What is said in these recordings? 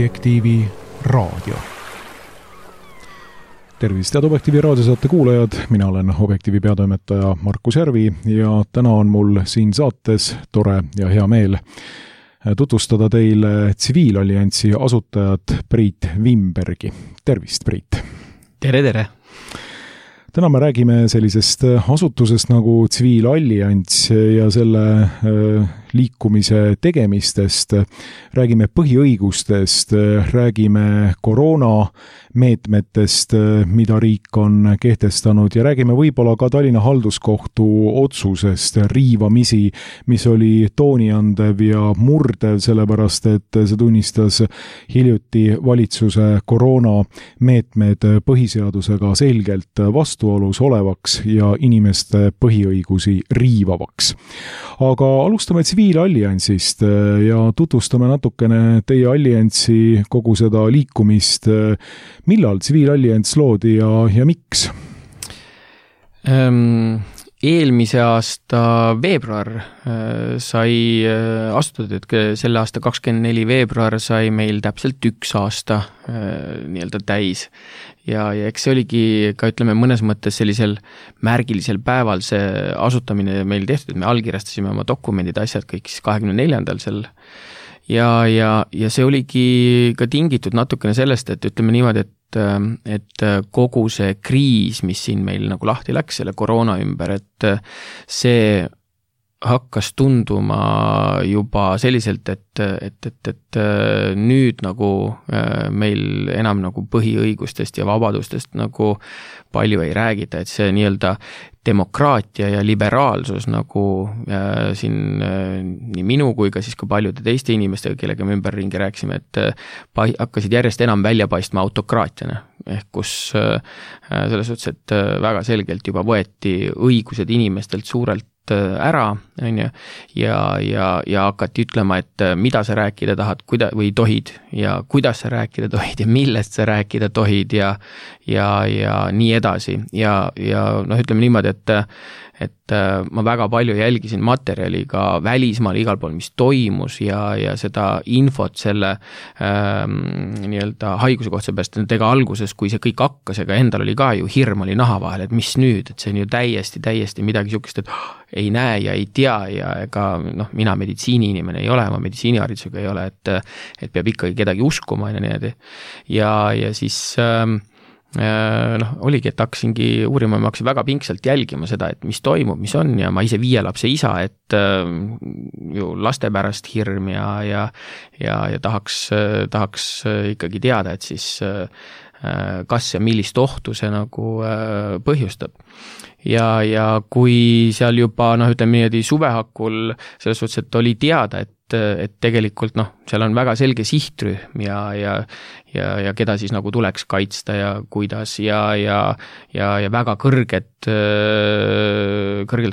Objektiivi raadio. Tervist, head Objektiivi raadiosaate kuulajad, mina olen Objektiivi peatoimetaja Markus Järvi ja täna on mul siin saates tore ja hea meel tutvustada teile Tsiviilalliansi asutajat Priit Wimbergi. Tervist, Priit! Tere, tere! Täna me räägime sellisest asutusest nagu Tsiviilallians ja selle liikumise tegemistest, räägime põhiõigustest, räägime koroonameetmetest, mida riik on kehtestanud ja räägime võib-olla ka Tallinna halduskohtu otsusest riivamisi, mis oli tooniandev ja murdev, sellepärast et see tunnistas hiljuti valitsuse koroonameetmed põhiseadusega selgelt vastuolus olevaks ja inimeste põhiõigusi riivavaks. Aga alustame Tsiviilalliansist ja tutvustame natukene teie alliansi kogu seda liikumist. Millal Tsiviilallians loodi ja miks? Eelmise aasta veebruar sai astutud, et selle aasta 24 veebruar sai meil täpselt 1 aasta nii-öelda täis. Ja eks see oligi ka, ütleme, mõnes mõttes sellisel märgilisel päeval see asutamine meil tehtud, et me allkirjastasime oma dokumendid, asjad kõik siis 24. seal. Ja see oligi ka tingitud natukene sellest, et ütleme niimoodi, et kogu see kriis, mis siin meil nagu lahti läks selle koroona ümber, et see hakkas tunduma juba selliselt, et nüüd nagu meil enam nagu põhiõigustest ja vabadustest nagu palju ei räägita, et see nii-öelda demokraatia ja liberaalsus nagu siin nii minu kui ka siis ka paljude teiste inimestega, kellega me ümberringi rääkisime, et hakkasid järjest enam välja paistma autokraatiana, ehk kus selles suhtes, et väga selgelt juba võeti õigused inimestelt suurelt ära, on ju, ja hakati ütlema, et mida sa rääkida tahad, või tohid, ja kuidas sa rääkida tohid, ja millest sa rääkida tohid, ja nii edasi. Ja noh, ütleme niimoodi, et ma väga palju jälgisin materjali ka välismaal igal pool, mis toimus ja seda infot selle nii-öelda haiguse kohta, seepärast, et ega alguses, kui see kõik hakkas, ega endal oli ka ju hirm oli naha vahel, et mis nüüd, et see on ju täiesti midagi sukest, et ei näe ja ei tea ja ega noh, mina meditsiini-inimene ei ole, ma meditsiiniharidusega ei ole, et peab ikkagi kedagi uskuma ja niimoodi. Ja siis oligi, et hakkasingi uurima, ma hakkasin väga pingsalt jälgima seda, et mis toimub, mis on, ja ma ise 5 lapse isa, et ju laste pärast hirm ja tahaks ikkagi teada, et siis kas ja millist ohtu see nagu põhjustab. Ja kui seal juba, ütleme niimoodi suvehakul selles suhtes, et oli teada, et tegelikult seal on väga selge sihtrühm ja keda siis nagu tuleks kaitsta ja kuidas ja väga kõrgelt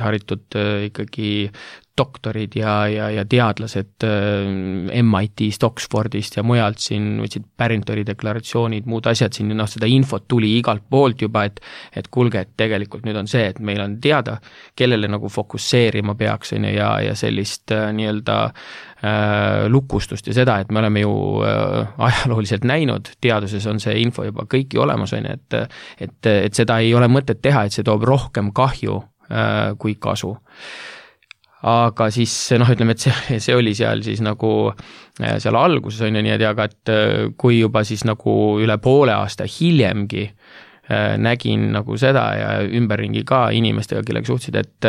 haritud ikkagi doktorid ja teadlased MIT-st, Oxfordist ja mujalt siin võtsid Barringtoni deklaratsioonid, muud asjad siin, seda infot tuli igalt poolt juba, et kuulge, et tegelikult nüüd on see, et meil on teada, kellele nagu fokusseerima peaks ja sellist nii-öelda lukustust ja seda, et me oleme ju ajalooliselt näinud, teaduses on see info juba kõiki olemas, et seda ei ole mõtet teha, et see toob rohkem kahju kui kasu. Aga siis, ütleme, et see oli seal siis nagu seal alguses on ja nii, aga et kui juba siis nagu üle poole aasta hiljemgi nägin nagu seda ja ümberringi ka inimestega, kellega suhtsid, et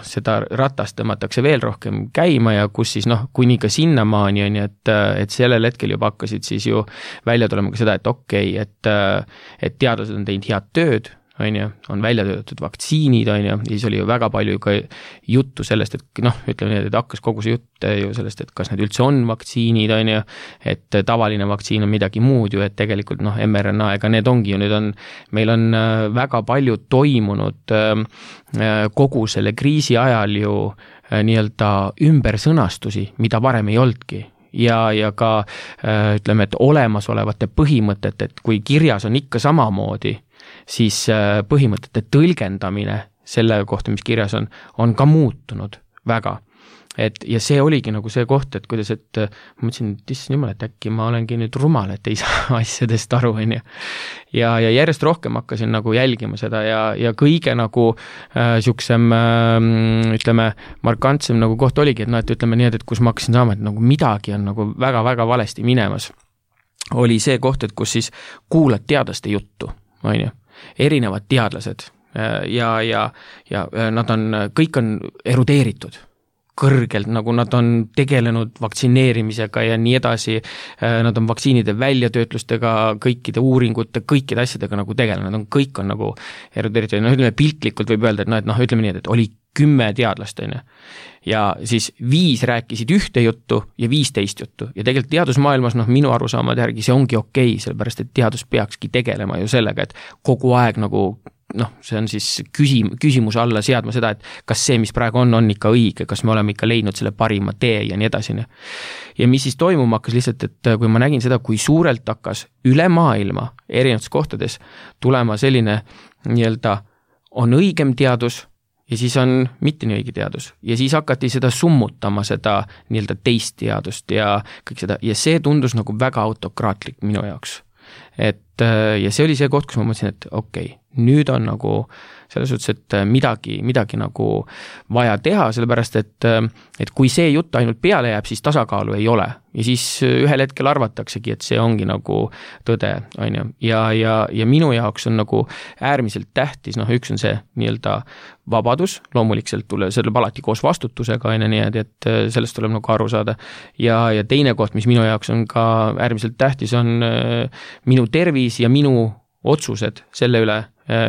seda ratast tõmmatakse veel rohkem käima ja kus siis kuni ka sinnamaani on, et sellel hetkel juba hakkasid siis ju välja tulema ka seda, et okei, et teadlased on teinud head tööd, on välja töötatud vaktsiinid, ja siis oli ju väga palju ka juttu sellest, et ütleme nii, et hakkas kogu see jutt ju sellest, et kas need üldse on vaktsiinid, et tavaline vaktsiin on midagi muud ju, et tegelikult mRNA, ega need ongi ju, meil on väga palju toimunud kogu selle kriisi ajal ju nii-öelda ümbersõnastusi, mida varem ei olnudki. Ja ka ütleme, et olemasolevate põhimõtete, et kui kirjas on ikka samamoodi, siis põhimõtete tõlgendamine selle kohta, mis kirjas on ka muutunud väga. ja see oligi nagu see koht, et kuidas, et ma mõtlesin, et issand jumal, et äkki ma olengi nüüd rumal, et ei saa asjadest aru, on ju. Ja järjest rohkem hakkasin nagu jälgima seda ja kõige nagu siuksem, ütleme, markantsem nagu koht oligi, et noh, et ütleme nii, et kus ma hakkasin saama, et nagu midagi on nagu väga-väga valesti minemas, oli see koht, et kus siis kuulad teadlaste juttu, on ju, erinevad teadlased ja nad on, kõik on erudeeritud kõrgelt, nagu nad on tegelenud vaktsineerimisega ja nii edasi, nad on vaktsiinide väljatöötlustega, kõikide uuringute, kõikide asjadega nagu tegelenud, kõik on nagu erudeeritud, noh ütleme piltlikult võib öelda, et noh ütleme nii, et oli 10 teadlast, on ju. Ja siis 5 rääkisid ühte juttu ja 5 teist juttu ja tegelikult teadusmaailmas, noh minu arusaamade järgi see ongi okei, sellepärast et teadus peakski tegelema ju sellega, et kogu aeg nagu noh, see on siis küsimuse alla seadma seda, et kas see, mis praegu on ikka õige, kas me oleme ikka leidnud selle parima tee ja nii edasi. Ja mis siis toimuma hakkas lihtsalt, et kui ma nägin seda, kui suurelt hakkas üle maailma erinevates kohtades tulema selline nii-öelda on õigem teadus ja siis on mitte nii õige teadus ja siis hakati seda summutama, seda nii-öelda teist teadust ja kõik seda ja see tundus nagu väga autokraatlik minu jaoks. Et ja see oli see koht, kus ma mõtlesin, et okei, nüüd on nagu selles suhtes, et midagi nagu vaja teha, sellepärast et kui see jutt ainult peale jääb, siis tasakaalu ei ole ja siis ühel hetkel arvataksegi, et see ongi nagu tõde, on ju, ja minu jaoks on nagu äärmiselt tähtis, noh üks on see nii-öelda vabadus, loomulikult see tuleb alati koos vastutusega, on ju, nii et sellest tuleb nagu aru saada ja teine koht, mis minu jaoks on ka äärmiselt tähtis, on minu tervis ja minu otsused selle üle,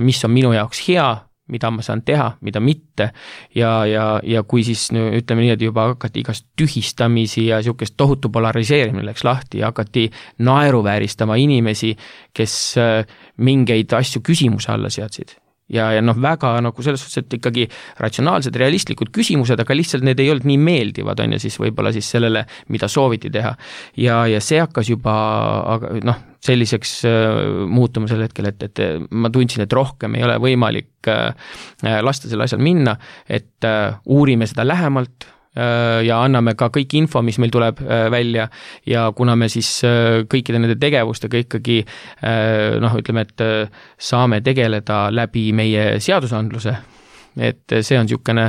mis on minu jaoks hea, mida ma saan teha, mida mitte ja kui siis ütleme nii, et juba hakati igast tühistamisi ja niisugust tohutu polariseerimine läks lahti ja hakati naeruvääristama inimesi, kes mingeid asju küsimuse alla seadsid. Ja noh, väga nagu selles suhtes, et ikkagi ratsionaalsed, realistlikud küsimused, aga lihtsalt need ei olnud nii meeldivad, on ja siis võib-olla siis sellele, mida sooviti teha. Ja see hakkas juba noh, selliseks muutuma sel hetkel, et ma tundsin, et rohkem ei ole võimalik lasta selle asjal minna, et uurime seda lähemalt ja anname ka kõik info, mis meil tuleb välja ja kuna me siis kõikide nende tegevustega ikkagi noh, ütleme, et saame tegeleda läbi meie seadusandluse, et see on niisugune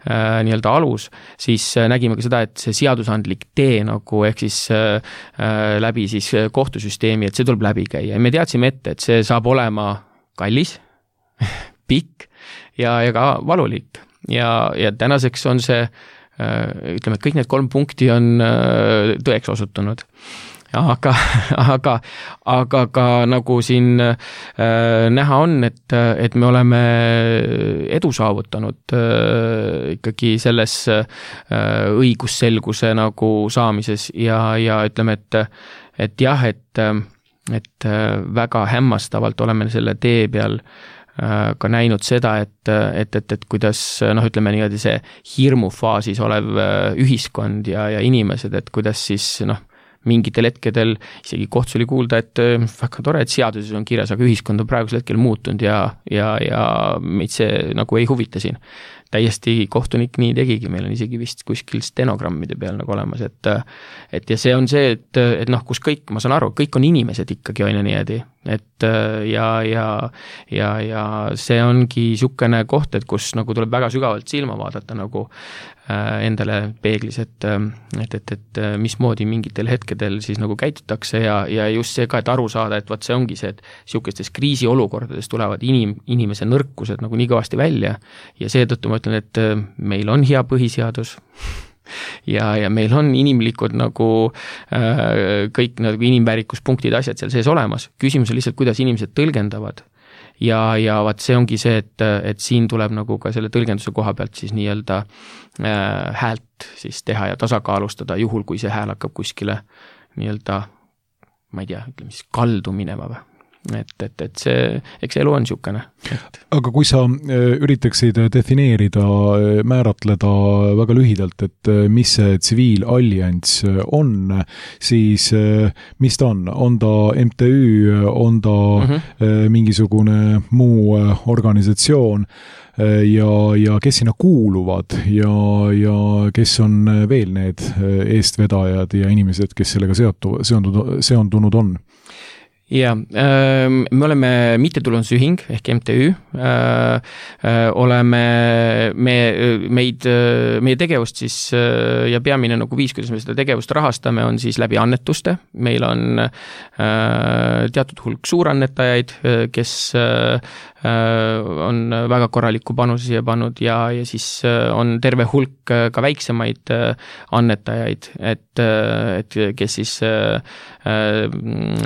nii-öelda alus, siis nägime ka seda, et see seadusandlik tee nagu ehk siis läbi siis kohtusüsteemi, et see tuleb läbi käia ja me teadsime ette, et see saab olema kallis, pikk ja ka valulik ja tänaseks on see ütleme, et kõik need 3 punkti on tõeks osutunud. Aga ka nagu siin näha on, et me oleme edu saavutanud ikkagi selles õigusselguse nagu saamises ja ütleme, et jah, et väga hämmastavalt oleme selle tee peal ka näinud seda, et kuidas noh, ütleme niimoodi see hirmufaasis olev ühiskond ja inimesed, et kuidas siis noh, mingitel hetkedel isegi kohtus oli kuulda, et väga tore, et seaduses on kirjas, aga ühiskond on praegusel hetkel muutunud ja meid see nagu ei huvita siin. Täiesti kohtunik nii tegigi, meil on isegi vist kuskil stenogrammide peal nagu olemas, et ja see on see, et noh, kus kõik, ma saan aru, kõik on inimesed ikkagi on ja niimoodi, et ja see ongi niisugune koht, et kus nagu tuleb väga sügavalt silma vaadata nagu endale peeglis, et mismoodi mingitel hetkedel siis nagu käitutakse ja just see ka, et aru saada, et vaat see ongi see, et niisugustes kriisiolukordades tulevad inimese nõrkused nagu nii kõvasti välja ja seetõttu ma ütlen, et meil on hea põhiseadus ja meil on inimlikud nagu kõik nagu inimväärikuspunktid, asjad seal sees olemas. Küsimus on lihtsalt, kuidas inimesed tõlgendavad ja vaat see ongi see, et siin tuleb nagu ka selle tõlgenduse koha pealt siis nii-öelda häält siis teha ja tasakaalustada juhul, kui see hääl hakkab kuskile nii-öelda, ma ei tea, ütleme siis kaldu minema või. et see, eks elu on niisugune. Aga kui sa üritaksid defineerida, määratleda väga lühidalt, et mis see tsiviilallianss on, siis mis ta on? On ta MTÜ, on ta mingisugune muu organisatsioon ja kes sinna kuuluvad ja kes on veel need eestvedajad ja inimesed, kes sellega seondunud on? Ja, me oleme mittetulundusühing ehk MTÜ, oleme meie tegevust siis ja peamine nagu viis, kuidas me seda tegevust rahastame, on siis läbi annetuste. Meil on teatud hulk suurannetajaid, kes on väga korraliku panuse siia pannud ja siis on terve hulk ka väiksemaid annetajaid, et kes siis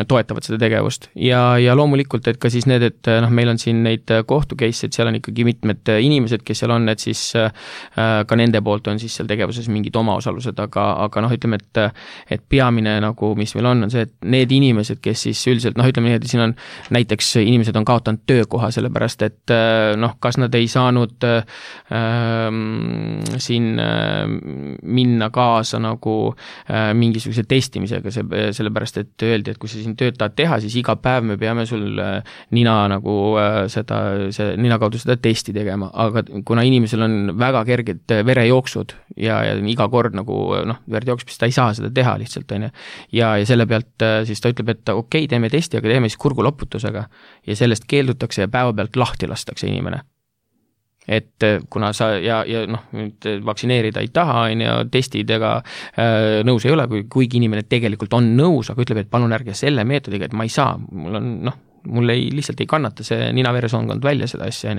toetavad seda tegevust. Ja loomulikult, et ka siis need, et meil on siin neid kohtukeisse, et seal on ikkagi mitmed inimesed, kes seal on, et siis ka nende poolt on siis seal tegevuses mingid omaosalused, aga ütleme, et peamine nagu, mis meil on see, et need inimesed, kes siis üldiselt, ütleme nii, et siin on näiteks inimesed on kaotanud töökoha, sellepärast, et kas nad ei saanud siin minna kaasa nagu mingisuguse testimisega, sellepärast, et öeldi, et kui sa siin tööd tahad teha, siis iga päev me peame sul nina nagu nina kaudu seda testi tegema, aga kuna inimesel on väga kerged verejooksud ja iga kord nagu verd jookseb, siis ta ei saa seda teha lihtsalt, ja selle pealt siis ta ütleb, et okei, teeme testi, aga teeme siis kurguloputusega ja sellest keeldutakse ja päeva pealt lahti lastakse inimene. Et kuna sa vaktsineerida ei taha, testidega nõus ei ole, kuigi inimene tegelikult on nõus, aga ütleb, et palun ärge selle meetodiga, et ma ei saa, mul lihtsalt ei kannata see nina-veresoonkond välja seda asja,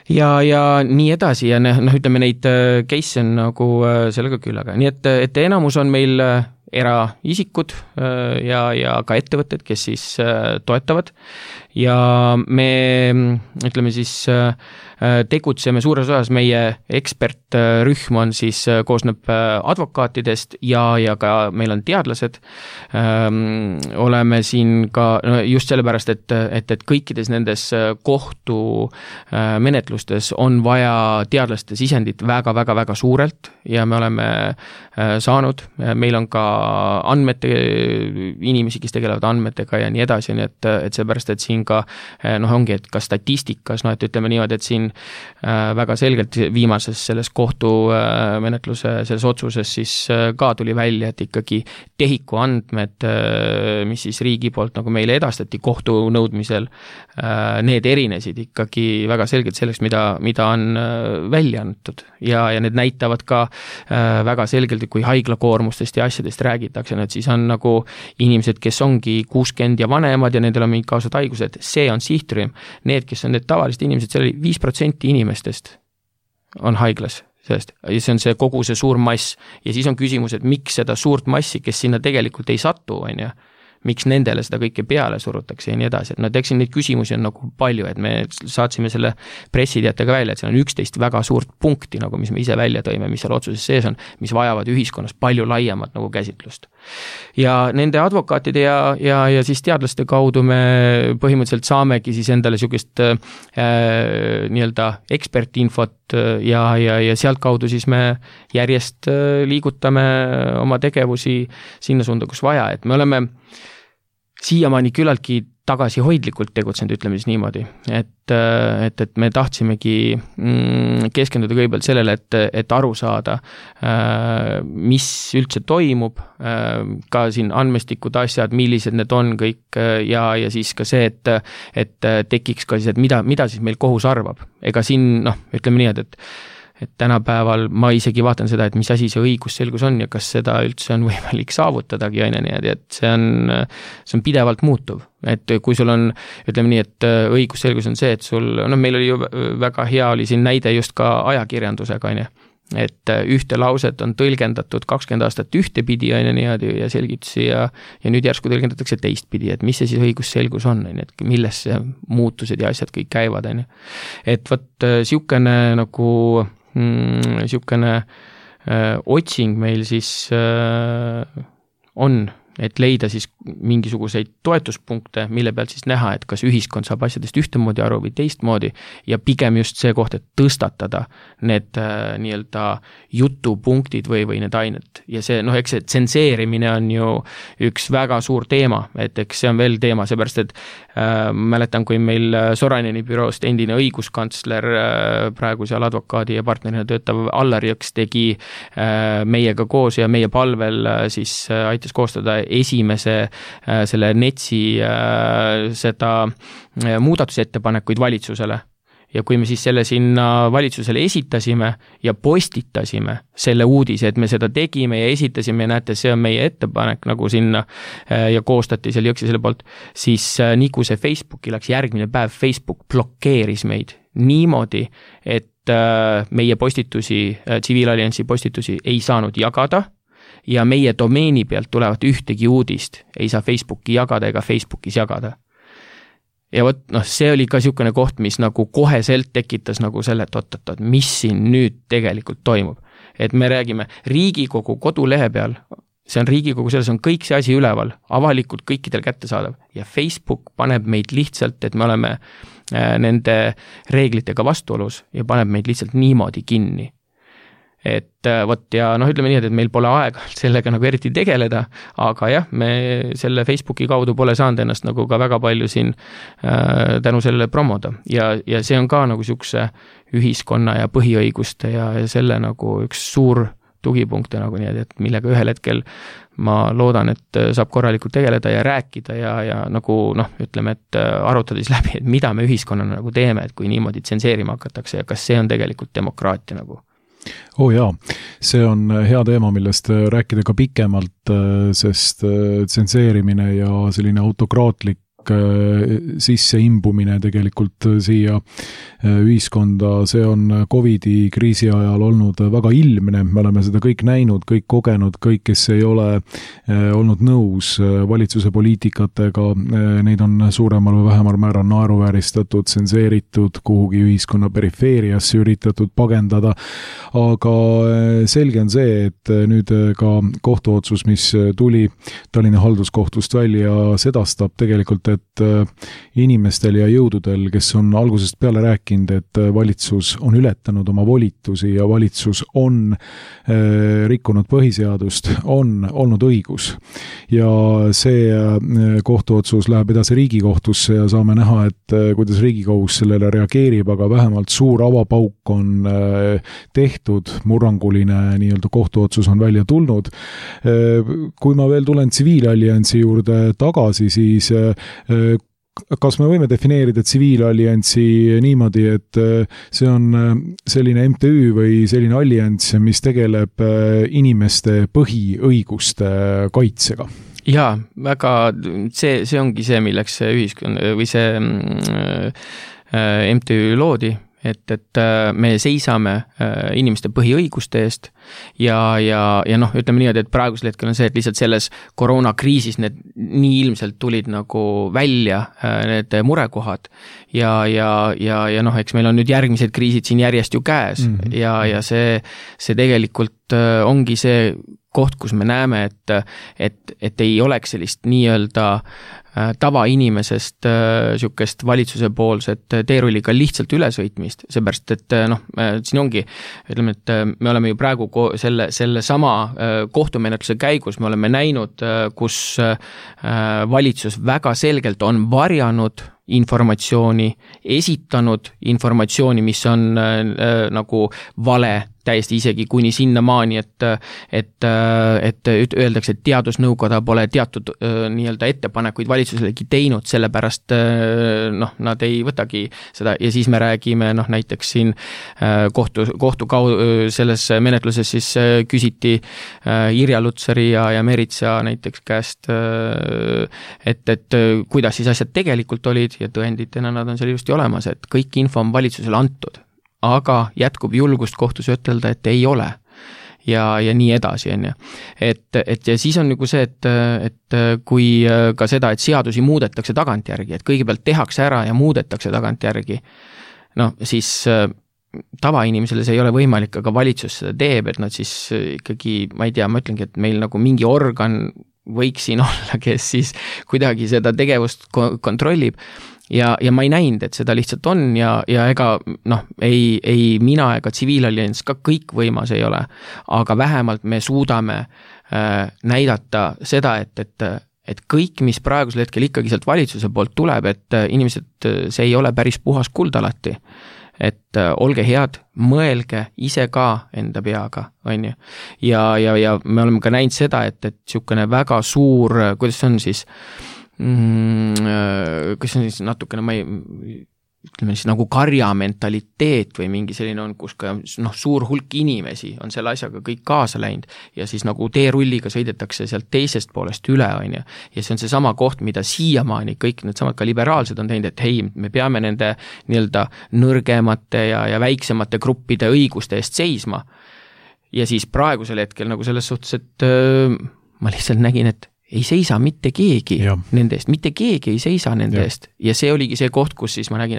ja nii edasi ja ütleme neid case on nagu sellega küll, aga nii, et enamus on meil eraisikud ja ka ettevõtted, kes siis toetavad ja me ütleme siis tegutseme suures osas, meie ekspertrühm on siis, koosneb advokaatidest ja ka meil on teadlased. Oleme siin ka just sellepärast, et kõikides nendes kohtu menetlustes on vaja teadlaste sisendit väga suurelt ja me oleme saanud, meil on ka andmete inimesi, kes tegelevad andmetega ja nii edasi, nii et seepärast, et siin ka ongi, et ka statistikas, et ütleme niimoodi, et siin väga selgelt viimases selles kohtumenetluse selles otsuses siis ka tuli välja, et ikkagi tehiku andmed, mis siis riigi poolt nagu meile edastati kohtu nõudmisel, need erinesid ikkagi väga selgelt sellest, mida on välja antud ja need näitavad ka väga selgelt, kui haiglakoormustest ja asjadest räägitakse, et siis on nagu inimesed, kes ongi 60 ja vanemad ja nendel on mingid kaasad haigused, see on sihtrühm. Need, kes on need tavalised inimesed, see oli 5% inimestest on haiglas sellest ja see on see kogu see suur mass ja siis on küsimus, et miks seda suurt massi, kes sinna tegelikult ei satu, miks nendele seda kõike peale surutakse ja nii edasi, et eks neid küsimusi on nagu palju, et me saatsime selle pressiteatega välja, et seal on 11 väga suurt punkti, nagu mis me ise välja tõime, mis seal otsuses sees on, mis vajavad ühiskonnas palju laiemat nagu käsitlust. Ja nende advokaatide ja siis teadlaste kaudu me põhimõtteliselt saamegi siis endale niisugust nii-öelda ekspertinfot ja sealt kaudu siis me järjest liigutame oma tegevusi sinna suunda, kus vaja, et me oleme siiamaani küllaltki tagasihoidlikult tegutsenud, ütleme siis niimoodi, et me tahtsimegi keskenduda kõigepealt sellele, et aru saada, mis üldse toimub, ka siin andmestikud asjad, millised need on kõik ja siis ka see, et tekiks ka siis, et mida siis meil kohus arvab. Ega siin, ütleme nii, et tänapäeval ma isegi vaatan seda, et mis asi see õigusselgus on ja kas seda üldse on võimalik saavutadagi, et see on pidevalt muutuv. Et kui sul on, ütleme nii, et õigusselgus on see, et sul, meil oli ju väga hea oli siin näide just ka ajakirjandusega, et ühte lauset on tõlgendatud 20 aastat ühtepidi ja selgitusi ja nüüd järsku tõlgendatakse teistpidi, et mis see siis õigusselgus on, et milles see muutused ja asjad kõik käivad, et võt siukene nagu siukene otsing meil siis on, et leida siis mingisuguseid toetuspunkte, mille pealt siis näha, et kas ühiskond saab asjadest ühtemoodi aru või teistmoodi ja pigem just see koht, et tõstatada need nii-öelda jutupunktid või need ained. Ja see, eks see tsenseerimine on ju üks väga suur teema, et eks see on veel teema, seepärast, et mäletan, kui meil Soraineni büroost endine õiguskantsler, praegu seal advokaadi ja partnerina töötav Allar Jõks tegi meiega koos ja meie palvel siis aitas koostada esimese selle NETS-i seda muudatusettepanekuid valitsusele. Ja kui me siis selle sinna valitsusele esitasime ja postitasime selle uudise, et me seda tegime ja esitasime ja näete, see on meie ettepanek nagu sinna ja koostati seal Jõksi selle poolt, siis nii kui see Facebooki läks järgmine päev, Facebook blokeeris meid niimoodi, et meie postitusi, tsiviilalliansi postitusi ei saanud jagada ja meie domeeni pealt tulevat ühtegi uudist ei saa Facebooki jagada ega Facebookis jagada. Ja see oli ka niisugune koht, mis nagu koheselt tekitas nagu selle, et oot, mis siin nüüd tegelikult toimub. Et me räägime Riigikogu kodulehe peal, see on Riigikogu, selles on kõik see asi üleval, avalikult kõikidel kättesaadav ja Facebook paneb meid lihtsalt, et me oleme nende reeglitega vastuolus ja paneb meid lihtsalt niimoodi kinni. Et ja ütleme nii, et meil pole aega sellega nagu eriti tegeleda, aga jah, me selle Facebooki kaudu pole saanud ennast nagu ka väga palju siin tänu sellele promoda ja see on ka nagu niisuguse ühiskonna ja põhiõiguste ja selle nagu üks suur tugipunkte nagu nii, et millega ühel hetkel ma loodan, et saab korralikult tegeleda ja rääkida ja nagu ütleme, et arutades läbi, et mida me ühiskonnana nagu teeme, et kui niimoodi tsenseerima hakatakse ja kas see on tegelikult demokraatia nagu. Jaa, see on hea teema, millest rääkida ka pikemalt, sest tsenseerimine ja selline autokraatlik sisse imbumine tegelikult siia ühiskonda, see on Covidi kriisi ajal olnud väga ilmne, me oleme seda kõik näinud, kõik kogenud, kõik, kes ei ole olnud nõus valitsuse poliitikatega, neid on suuremal või vähemal määral naeruvääristatud, tsenseeritud, kuhugi ühiskonna perifeeriasse üritatud pagendada, aga selge on see, et nüüd ka kohtuotsus, mis tuli Tallinna halduskohtust välja, sedastab tegelikult, et inimestel ja jõududel, kes on algusest peale rääkinud, et valitsus on ületanud oma volitusi ja valitsus on rikkunud põhiseadust, on olnud õigus. Ja see kohtuotsus läheb edasi Riigikohtusse ja saame näha, et kuidas Riigikohus sellele reageerib, aga vähemalt suur avapauk on tehtud, murranguline nii-öelda kohtuotsus on välja tulnud. Kui ma veel tulen tsiviilalliansi juurde tagasi, siis kas me võime defineerida tsiviilalliansi niimoodi, et see on selline MTÜ või selline allianss, mis tegeleb inimeste põhiõiguste kaitsega? Jaa, väga, see ongi see, milleks see ühiskond või see MTÜ loodi, et me seisame inimeste põhiõiguste eest ja ütleme niimoodi, et praegusel hetkel on see, et lihtsalt selles koroonakriisis need nii ilmselt tulid nagu välja need murekohad ja eks meil on nüüd järgmised kriisid siin järjest ju käes ja see tegelikult ongi see koht, kus me näeme, et ei oleks sellist nii-öelda tavainimesest niisugust valitsuse poolset teerulliga lihtsalt ülesõitmist, seepärast, et siin ongi, ütleme, et me oleme ju praegu selle sama kohtumenetluse käigus, me oleme näinud, kus valitsus väga selgelt on varjanud informatsiooni, esitanud informatsiooni, mis on nagu vale, täiesti isegi kuni sinnamaani, et öeldakse, et teadusnõukoda pole teatud nii-öelda ettepanekuid valitsuselegi teinud, sellepärast nad ei võtagi seda ja siis me räägime näiteks siin selles menetluses siis küsiti Irja Lutsari ja Meritsa näiteks käest, et kuidas siis asjad tegelikult olid ja tõenditena nad on seal ilusti olemas, et kõik info on valitsusele antud. Aga jätkub julgust kohtus ütelda, et ei ole ja nii edasi, on ju. Et ja siis on nagu see, et kui ka seda, et seadusi muudetakse tagantjärgi, et kõigepealt tehakse ära ja muudetakse tagantjärgi, siis tavainimesele see ei ole võimalik, aga valitsus seda teeb, et nad siis ikkagi, ma ei tea, ma ütlengi, et meil nagu mingi organ võiks siin olla, kes siis kuidagi seda tegevust kontrollib ja ma ei näinud, et seda lihtsalt on ja ega ei mina ega tsiviilallianss ka kõik võimas ei ole, aga vähemalt me suudame näidata seda, et kõik, mis praegusel hetkel ikkagi sealt valitsuse poolt tuleb, et inimesed, see ei ole päris puhas kuld alati. Et olge head, mõelge ise ka enda peaga, on ju. Ja me oleme ka näinud seda, et sihukene väga suur, kuidas see on siis, kas see on siis natukene, ütleme siis nagu karja mentaliteet või mingi selline on, kus ka suur hulk inimesi on selle asjaga kõik kaasa läinud ja siis nagu teerulliga sõidetakse sealt teisest poolest üle, on ju. Ja see on see sama koht, mida siiamaani kõik need samad ka liberaalsed on teinud, et hei, me peame nende nii-öelda nõrgemate ja väiksemate gruppide õiguste eest seisma. Ja siis praegusel hetkel nagu selles suhtes, et ma lihtsalt nägin, et ei seisa mitte keegi nende eest, mitte keegi ei seisa nende eest ja see oligi see koht, kus siis ma nägin,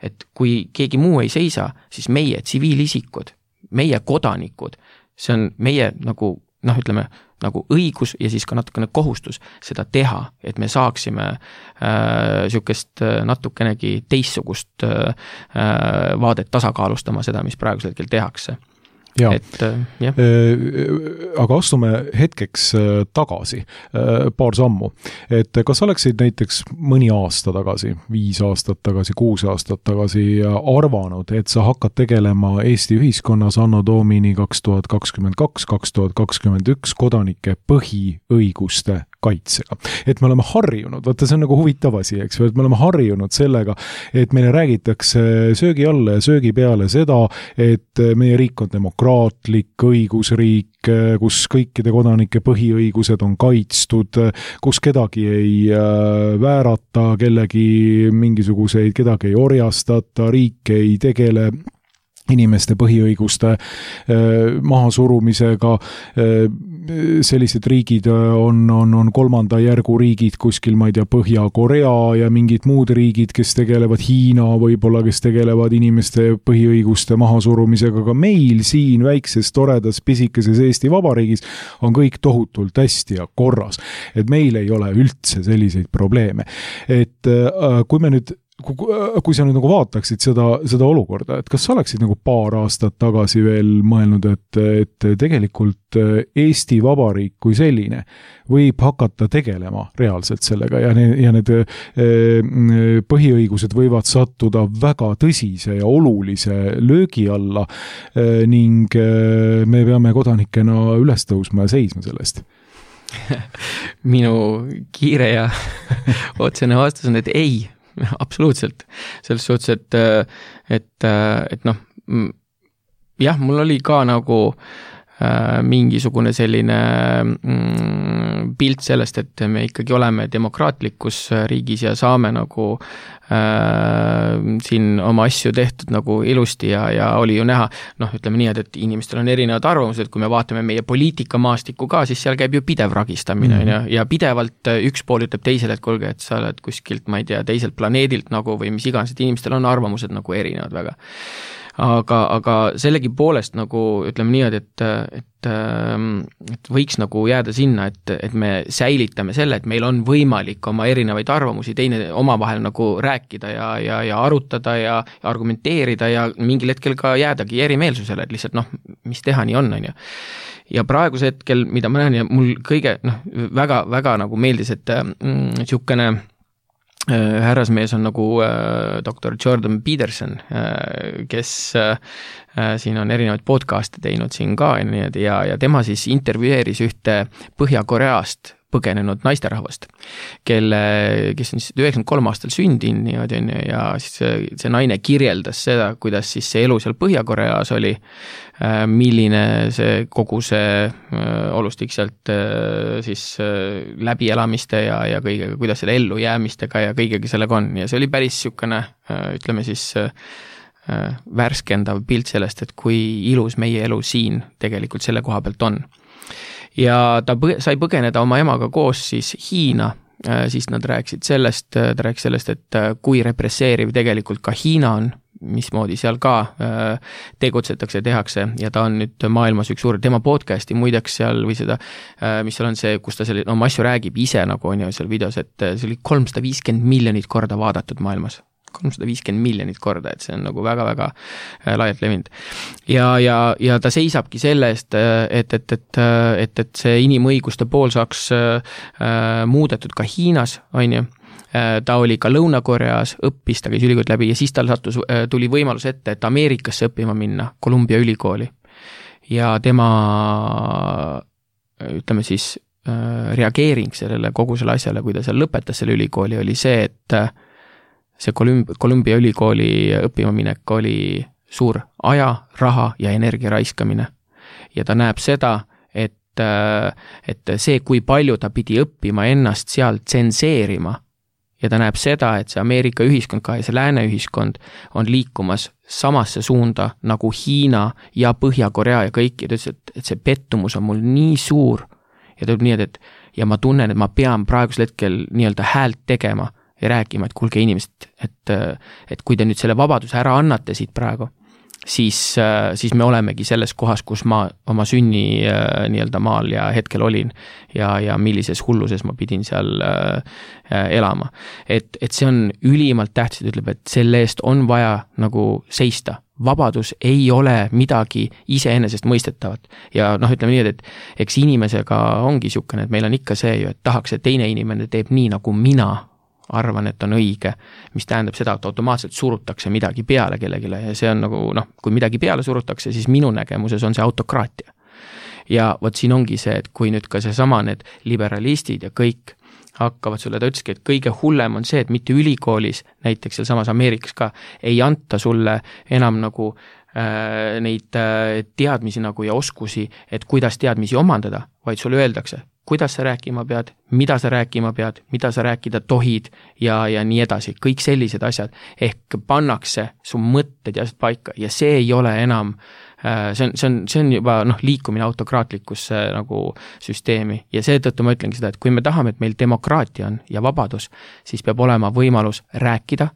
et kui keegi muu ei seisa, siis meie tsiviilisikud, meie kodanikud, see on meie nagu, ütleme, nagu õigus ja siis ka natukene kohustus seda teha, et me saaksime sihukest natukenegi teissugust vaadet tasakaalustama seda, mis praegusel hetkel tehakse. Aga astume hetkeks tagasi, paar sammu, et kas oleksid näiteks mõni aasta tagasi, 5 aastat tagasi, 6 aastat tagasi arvanud, et sa hakkad tegelema Eesti ühiskonnas anno domini 2022, 2021 kodanike põhiõiguste kaitsega. Et me oleme harjunud, vaata see on nagu huvitav asi, eks või, et me oleme harjunud sellega, et meile räägitakse söögi alla ja söögi peale seda, et meie riik on demokraatlik, õigusriik, kus kõikide kodanike põhiõigused on kaitstud, kus kedagi ei väärata, kellegi mingisuguseid, kedagi ei orjastata, riik ei tegele inimeste põhiõiguste mahasurumisega, sellised riigid on kolmanda järgu riigid kuskil, ma ei tea, Põhja-Korea ja mingid muud riigid, kes tegelevad Hiina võib-olla, kes tegelevad inimeste põhiõiguste mahasurumisega, aga meil siin väikses, toredas, pisikeses Eesti Vabariigis on kõik tohutult hästi ja korras. Et meil ei ole üldse selliseid probleeme. Et kui sa nüüd nagu vaataksid seda olukorda, et kas sa oleksid nagu paar aastat tagasi veel mõelnud, et tegelikult Eesti Vabariik kui selline võib hakata tegelema reaalselt sellega ja need põhiõigused võivad sattuda väga tõsise ja olulise löögi alla ning me peame kodanikena üles tõusma ja seisma sellest? Minu kiire ja otsene vastus on, et ei, absoluutselt. Selles suhtes, et jah, mul oli ka nagu mingisugune selline pilt sellest, et me ikkagi oleme demokraatlikus riigis ja saame nagu siin oma asju tehtud nagu ilusti ja oli ju näha, ütleme nii, et inimestel on erinevad arvamused, kui me vaatame meie poliitikamaastikku ka, siis seal käib ju pidev ragistamine ja pidevalt üks pool ütleb teisele, et kuulge, et sa oled kuskilt, ma ei tea, teiselt planeedilt nagu või mis iganes, et inimestel on arvamused nagu erinevad väga. Aga sellegi poolest nagu ütleme nii, et võiks nagu jääda sinna, et me säilitame selle, et meil on võimalik oma erinevaid arvamusi teine omavahel nagu rääkida ja arutada ja argumenteerida ja mingil hetkel ka jäädagi erimeelsusele, et lihtsalt mis teha nii on, ju. Ja praeguse hetkel, mida ma näen ja mul kõige väga nagu meeldis, et sihukene härrasmees on nagu doktor Jordan Peterson, kes siin on erinevaid podcast'e teinud siin ka ja tema siis intervjueeris ühte Põhja-Koreast põgenenud naisterahvast, kes on siis 93 aastal sündinud ja siis see naine kirjeldas seda, kuidas siis see elu seal Põhja-Koreas oli, milline see kogu see olustik sealt siis läbielamiste ja kõigega, kuidas selle ellu jäämistega ja kõigega sellega on ja see oli päris sihukene, ütleme siis värskendav pilt sellest, et kui ilus meie elu siin tegelikult selle koha pealt on. Ja ta sai põgeneda oma emaga koos siis Hiina, siis nad rääkisid sellest, et kui represseeriv tegelikult ka Hiina on, mismoodi seal ka tegutsetakse, tehakse ja ta on nüüd maailmas üks suur, tema podcasti muideks seal või seda, mis seal on see, kus ta selle oma asju räägib ise nagu on ju seal videos, et see oli 350 miljonit korda vaadatud maailmas. 350 miljonit korda, et see on nagu väga-väga laialt levinud. Ja ta seisabki selle eest, et see inimõiguste pool saaks muudetud ka Hiinas, on ju. Ta oli ka Lõuna-Koreas, õppis, ta käis ülikoolid läbi ja siis tal tuli võimalus ette, et Ameerikasse õppima minna, Columbia ülikooli. Ja tema, ütleme siis, reageering sellele kogu selle asjale, kui ta seal lõpetas selle ülikooli, oli see, et see Columbia ülikooli õppima minek oli suur aja, raha ja energia raiskamine. Ja ta näeb seda, et see, kui palju ta pidi õppima ennast seal tsenseerima, ja ta näeb seda, et see Ameerika ühiskond ka ja see lääne ühiskond on liikumas samasse suunda nagu Hiina ja Põhja-Korea ja kõik, ja ta ütles, et see pettumus on mul nii suur ja ta tuleb nii, ja ma tunnen, et ma pean praegusel hetkel nii-öelda häält tegema ja rääkima, et kuulge inimesed, et kui te nüüd selle vabaduse ära annate siit praegu, siis me olemegi selles kohas, kus ma oma sünni nii-öelda maal ja hetkel olin ja millises hulluses ma pidin seal elama. Et see on ülimalt tähtis, ütleb, et selle eest on vaja nagu seista. Vabadus ei ole midagi iseenesest mõistetavat. Ja ütleme nii, et eks inimesega ongi siukene, et meil on ikka see ju, et tahaks, et teine inimene teeb nii, nagu mina arvan, et on õige, mis tähendab seda, et automaatselt surutakse midagi peale kellegile ja see on nagu, kui midagi peale surutakse, siis minu nägemuses on see autokraatia. Ja vot siin ongi see, et kui nüüd ka seesama need liberalistid ja kõik hakkavad sulle, ta ütleski, et kõige hullem on see, et mitte ülikoolis, näiteks seal samas Ameerikas ka, ei anta sulle enam nagu neid teadmisi nagu ja oskusi, et kuidas teadmisi omandada, vaid sulle öeldakse, kuidas sa rääkima pead, mida sa rääkima pead, mida sa rääkida tohid ja nii edasi. Kõik sellised asjad ehk pannakse su mõtted ja paika ja see ei ole enam, see on juba liikumine autokraatlikusse nagu süsteemi ja seetõttu ma ütlengi seda, et kui me tahame, et meil demokraatia on ja vabadus, siis peab olema võimalus rääkida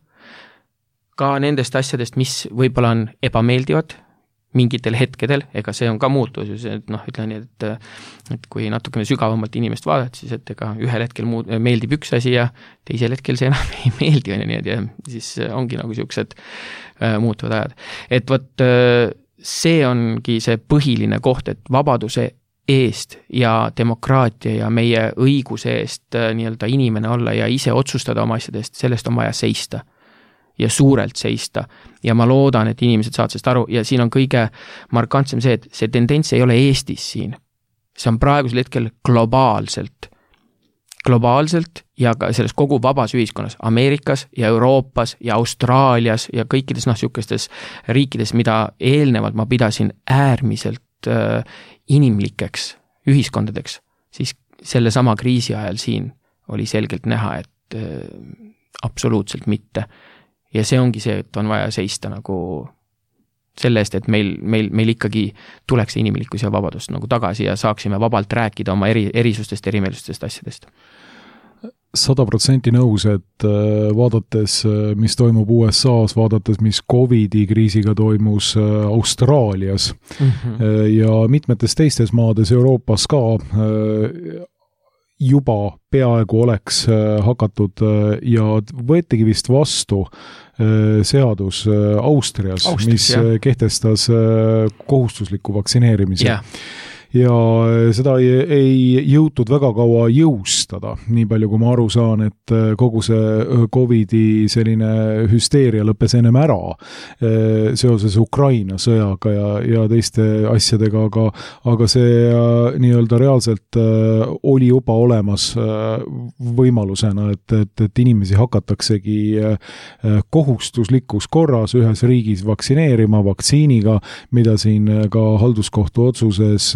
ka nendest asjadest, mis võib-olla on ebameeldivad mingitel hetkedel, ega see on ka muutus, ütlen nii, et kui natukene sügavamalt inimest vaadata, siis et ega ühel hetkel meeldib üks asi ja teisel hetkel see enam ei meeldi, ja siis ongi nagu siuksed muutuvad ajad. Et vot see ongi see põhiline koht, et vabaduse eest ja demokraatia ja meie õiguse eest nii-öelda inimene olla ja ise otsustada oma asjadest, sellest on vaja seista. Ja suurelt seista. Ja ma loodan, et inimesed saavad sellest aru ja siin on kõige markantsem see, et see tendents ei ole Eestis siin. See on praegusel hetkel globaalselt ja ka selles kogu vabas ühiskonnas, Ameerikas ja Euroopas ja Austraalias ja kõikides siukestes riikides, mida eelnevalt ma pidasin äärmiselt inimlikeks ühiskondadeks, siis selle sama kriisi ajal siin oli selgelt näha, et absoluutselt mitte. Ja see ongi see, et on vaja seista nagu selle eest, et meil ikkagi tuleks inimlikkus ja vabadus nagu tagasi ja saaksime vabalt rääkida oma erisustest, erimeelustest asjadest. 100% nõus, et vaadates, mis toimub USAs, vaadates, mis COVID-i kriisiga toimus Austraalias ja mitmetes teistes maades Euroopas ka, juba peaaegu oleks hakatud ja võetigi vist vastu seadus Austrias, mis kehtestas kohustusliku vaktsineerimise. Ja seda ei jõutud väga kaua jõustada, nii palju kui ma aru saan, et kogu see COVID-i selline hüsteeria lõppes ennem ära seoses Ukraina sõjaga ja teiste asjadega, aga see nii-öelda reaalselt oli juba olemas võimalusena, et inimesi hakataksegi kohustuslikus korras ühes riigis vaktsineerima vaktsiiniga, mida siin ka halduskohtu otsuses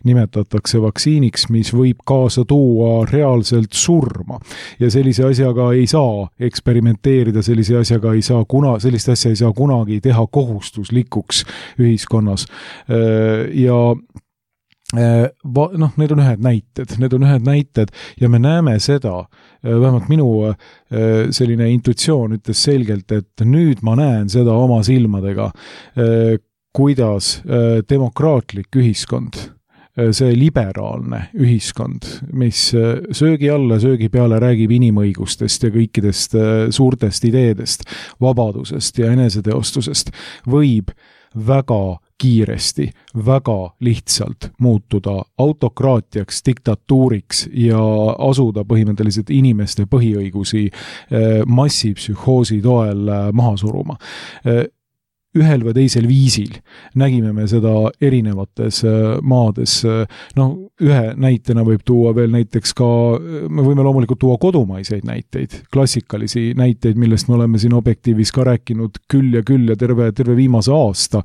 nimetatakse vaktsiiniks, mis võib kaasa tuua reaalselt surma. Ja sellise asjaga ei saa eksperimenteerida, selliste asja ei saa kunagi teha kohustuslikuks ühiskonnas. Ja need on ühed näited ja me näeme seda, vähemalt minu selline intuitsioon ütles selgelt, et nüüd ma näen seda oma silmadega, kuidas demokraatlik ühiskond, see liberaalne ühiskond, mis söögi alla, söögi peale räägib inimõigustest ja kõikidest suurtest ideedest, vabadusest ja eneseteostusest, võib väga kiiresti, väga lihtsalt muutuda autokraatiaks, diktatuuriks ja asuda põhimõtteliselt inimeste põhiõigusi massipsühhoosi toel maha suruma. Ühel või teisel viisil nägime me seda erinevates maades. Ühe näitena võib tuua veel näiteks ka, me võime loomulikult tuua kodumaiseid näiteid, klassikalisi näiteid, millest me oleme siin Objektiivis ka rääkinud küll ja terve viimase aasta.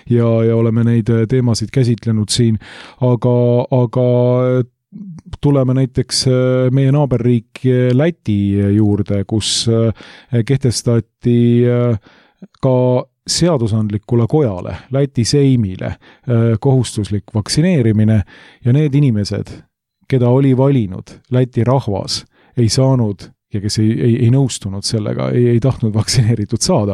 Ja oleme neid teemasid käsitlenud siin, aga tuleme näiteks meie naaberriik Läti juurde, kus kehtestati ka seadusandlikule kojale, Läti seimile kohustuslik vaktsineerimine ja need inimesed, keda oli valinud Läti rahvas, ei saanud ja kes ei nõustunud sellega, ei tahtnud vaktsineeritud saada,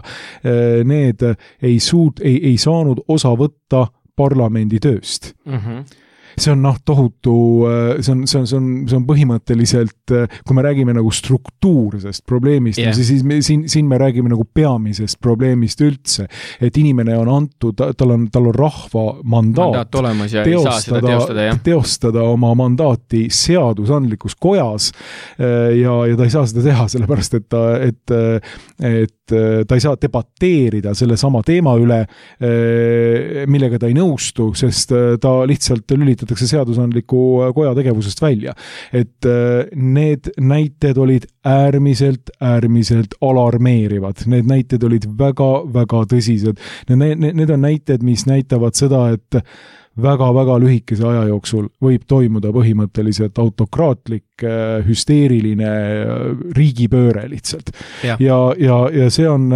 need ei saanud osa võtta parlamendi tööst. See on tohutu, see on põhimõtteliselt, kui me räägime nagu struktuursest probleemist, siis siin me räägime nagu peamisest probleemist üldse, et inimene on antud, tal on rahva mandaat olemas ja teostada oma mandaati seadusandlikus kojas ja ta ei saa seda teha, sellepärast et ta ei saa debateerida selle sama teema üle, millega ta ei nõustu, sest ta lihtsalt lülitatakse seadusandliku koja tegevusest välja. Et need näited olid äärmiselt alarmeerivad. Need näited olid väga tõsised. Need on näited, mis näitavad seda, et väga lühikese aja jooksul võib toimuda põhimõtteliselt autokraatlik, hüsteeriline riigipööre lihtsalt. Ja see on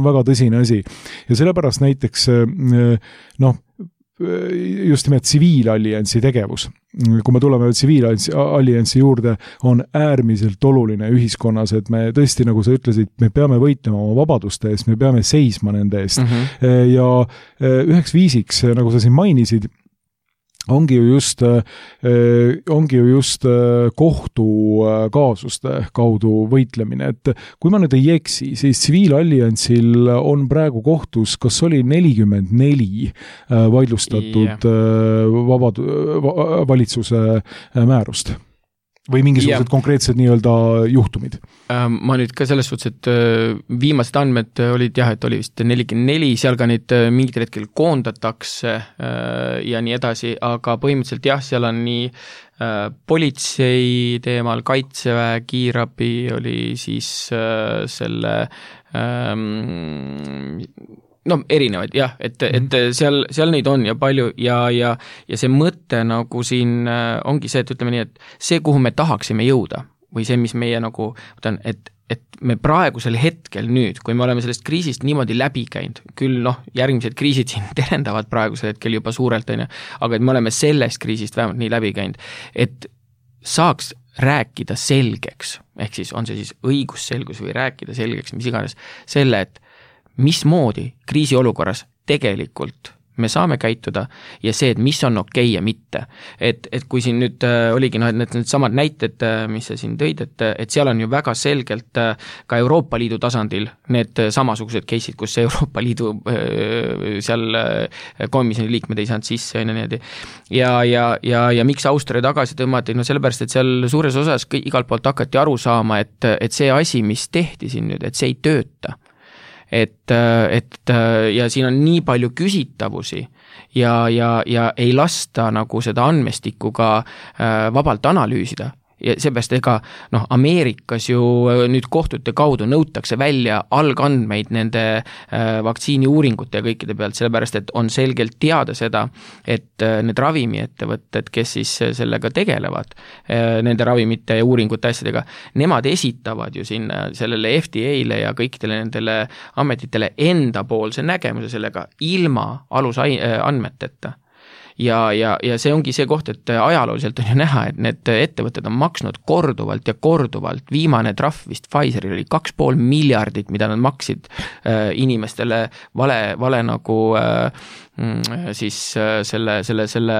väga tõsine asi. Ja sellepärast näiteks just nimelt tsiviilalliansi tegevus. Kui me tuleme tsiviilalliansi juurde, on äärmiselt oluline ühiskonnas, et me tõesti, nagu sa ütlesid, me peame võitlema oma vabaduste eest, me peame seisma nende eest. Ja üheks viisiks, nagu sa siin mainisid, ongi ju just kohtukaasuste kaudu võitlemine, et kui ma nüüd ei eksi, siis tsiviilalliansil on praegu kohtus, kas oli 44 vaidlustatud valitsuse määrust või mingisugused konkreetsed nii-öelda juhtumid? Ma nüüd ka selles suhtes, et viimased andmed olid et oli vist 44, seal ka neid mingil hetkel koondatakse ja nii edasi, aga põhimõtteliselt seal on nii politsei teemal, kaitseväe, kiirabi oli siis selle erinevaid et seal neid on ja palju ja see mõte nagu siin ongi see, et ütleme nii, et see, kuhu me tahaksime jõuda või see, mis meie nagu, et me praegusel hetkel nüüd, kui me oleme sellest kriisist niimoodi läbi käinud, küll järgmised kriisid siin terendavad praegusel hetkel juba suurelt, aga et me oleme sellest kriisist vähemalt nii läbi käinud, et saaks rääkida selgeks, ehk siis on see siis õigusselgus või rääkida selgeks, mis iganes, selle, et mismoodi kriisiolukorras tegelikult me saame käituda ja see, et mis on okei ja mitte. Et kui siin nüüd oligi need samad näited, mis sa siin tõid, et seal on ju väga selgelt ka Euroopa Liidu tasandil need samasugused case'id, kus Euroopa Liidu seal komisjoni liikmed ei saanud sisse ja miks Austria tagasi tõmmati, sellepärast, et seal suures osas igalt poolt hakati aru saama, et see asi, mis tehti siin nüüd, et see ei tööta. Et ja siin on nii palju küsitavusi ja ei lasta nagu seda andmestikku ka vabalt analüüsida. Ja seepärast Ameerikas ju nüüd kohtute kaudu nõutakse välja algandmeid nende vaktsiiniuuringute ja kõikide pealt, sellepärast, et on selgelt teada seda, et need ravimiettevõtted, kes siis sellega tegelevad, nende ravimite ja uuringute asjadega, nemad esitavad ju sinna sellele FDA-le ja kõikidele nendele ametitele enda poolse nägemuse sellega ilma alusandmeteta. ja see ongi see koht, et ajalooliselt on ju näha, et need ettevõtted on maksnud korduvalt ja korduvalt, viimane trahv vist Pfizeril oli 2,5 miljardit, mida nad maksid inimestele vale nagu siis selle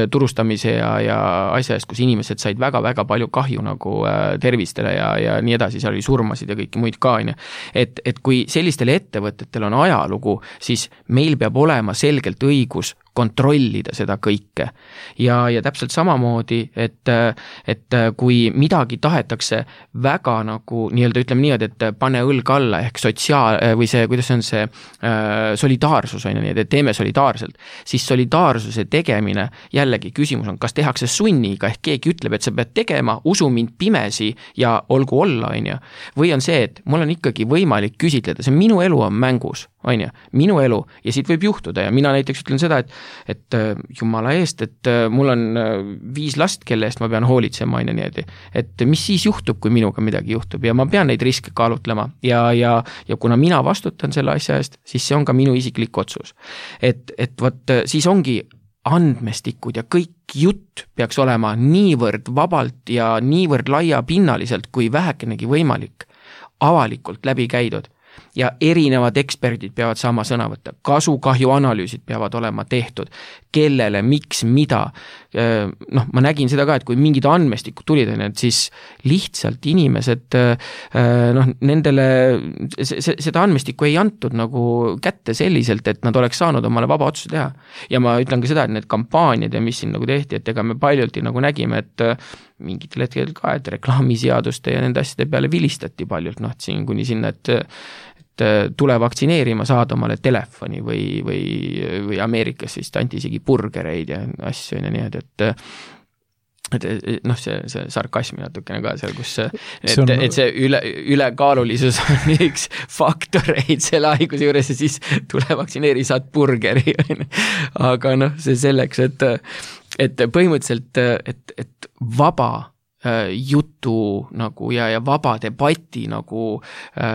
turustamise ja asja eest, kus inimesed said väga-väga palju kahju nagu tervistele ja nii edasi, seal oli surmasid ja kõiki muid ka, et kui sellistel ettevõtetel on ajalugu, siis meil peab olema selgelt õigus kontrollida seda kõike. Ja täpselt samamoodi, et kui midagi tahetakse väga nagu nii-öelda ütleme niimoodi, et pane õlg alla ehk või see, kuidas on see solidaarsus on ju nii, et teeme solidaarselt, siis solidaarsuse tegemine, jällegi küsimus on, kas tehakse sunniga ehk keegi ütleb, et sa pead tegema, usu mind pimesi ja olgu olla, on ju. Või on see, et mul on ikkagi võimalik küsitleda, see minu elu on mängus, on ju, minu elu ja siit võib juhtuda ja mina näiteks ütlen seda, et jumala eest, et mul on 5 last, kelle eest ma pean hoolitsema, on ju niimoodi, et mis siis juhtub, kui minuga midagi juhtub ja ma pean neid riske kaalutlema ja kuna mina vastutan selle asja eest, siis see on ka minu isiklik otsus. Et võt, siis ongi andmestikud ja kõik jutt peaks olema niivõrd vabalt ja niivõrd laiapinnaliselt kui vähekenegi võimalik avalikult läbi käidud. Ja erinevad eksperdid peavad saama sõna võtta, kasu-kahju analüüsid peavad olema tehtud, kellele, miks, mida. Noh, ma nägin seda ka, et kui mingid andmestikud tulid, et siis lihtsalt inimesed, noh, nendele seda andmestikku ei antud nagu kätte selliselt, et nad oleks saanud omale vaba otsuse teha. Ja ma ütlen ka seda, et need kampaaniad ja mis siin nagu tehti, et ega me paljulti nagu nägime, et mingitel hetkel ka, et reklaamiseaduste ja nende asjade peale vilistati paljult, noh, siin kuni sinna, et tule vaktsineerima, saad omale telefoni või Ameerikas siis anti isegi burgereid ja asju ja nii, et noh, see sarkasmi natukene ka seal, kus et see ülekaalulisus on üks faktoreid selle haiguse juures ja siis tule vaktsineeri, saad burgeri. Aga noh, see selleks, et põhimõtteliselt, et vaba jutu nagu ja vaba debati nagu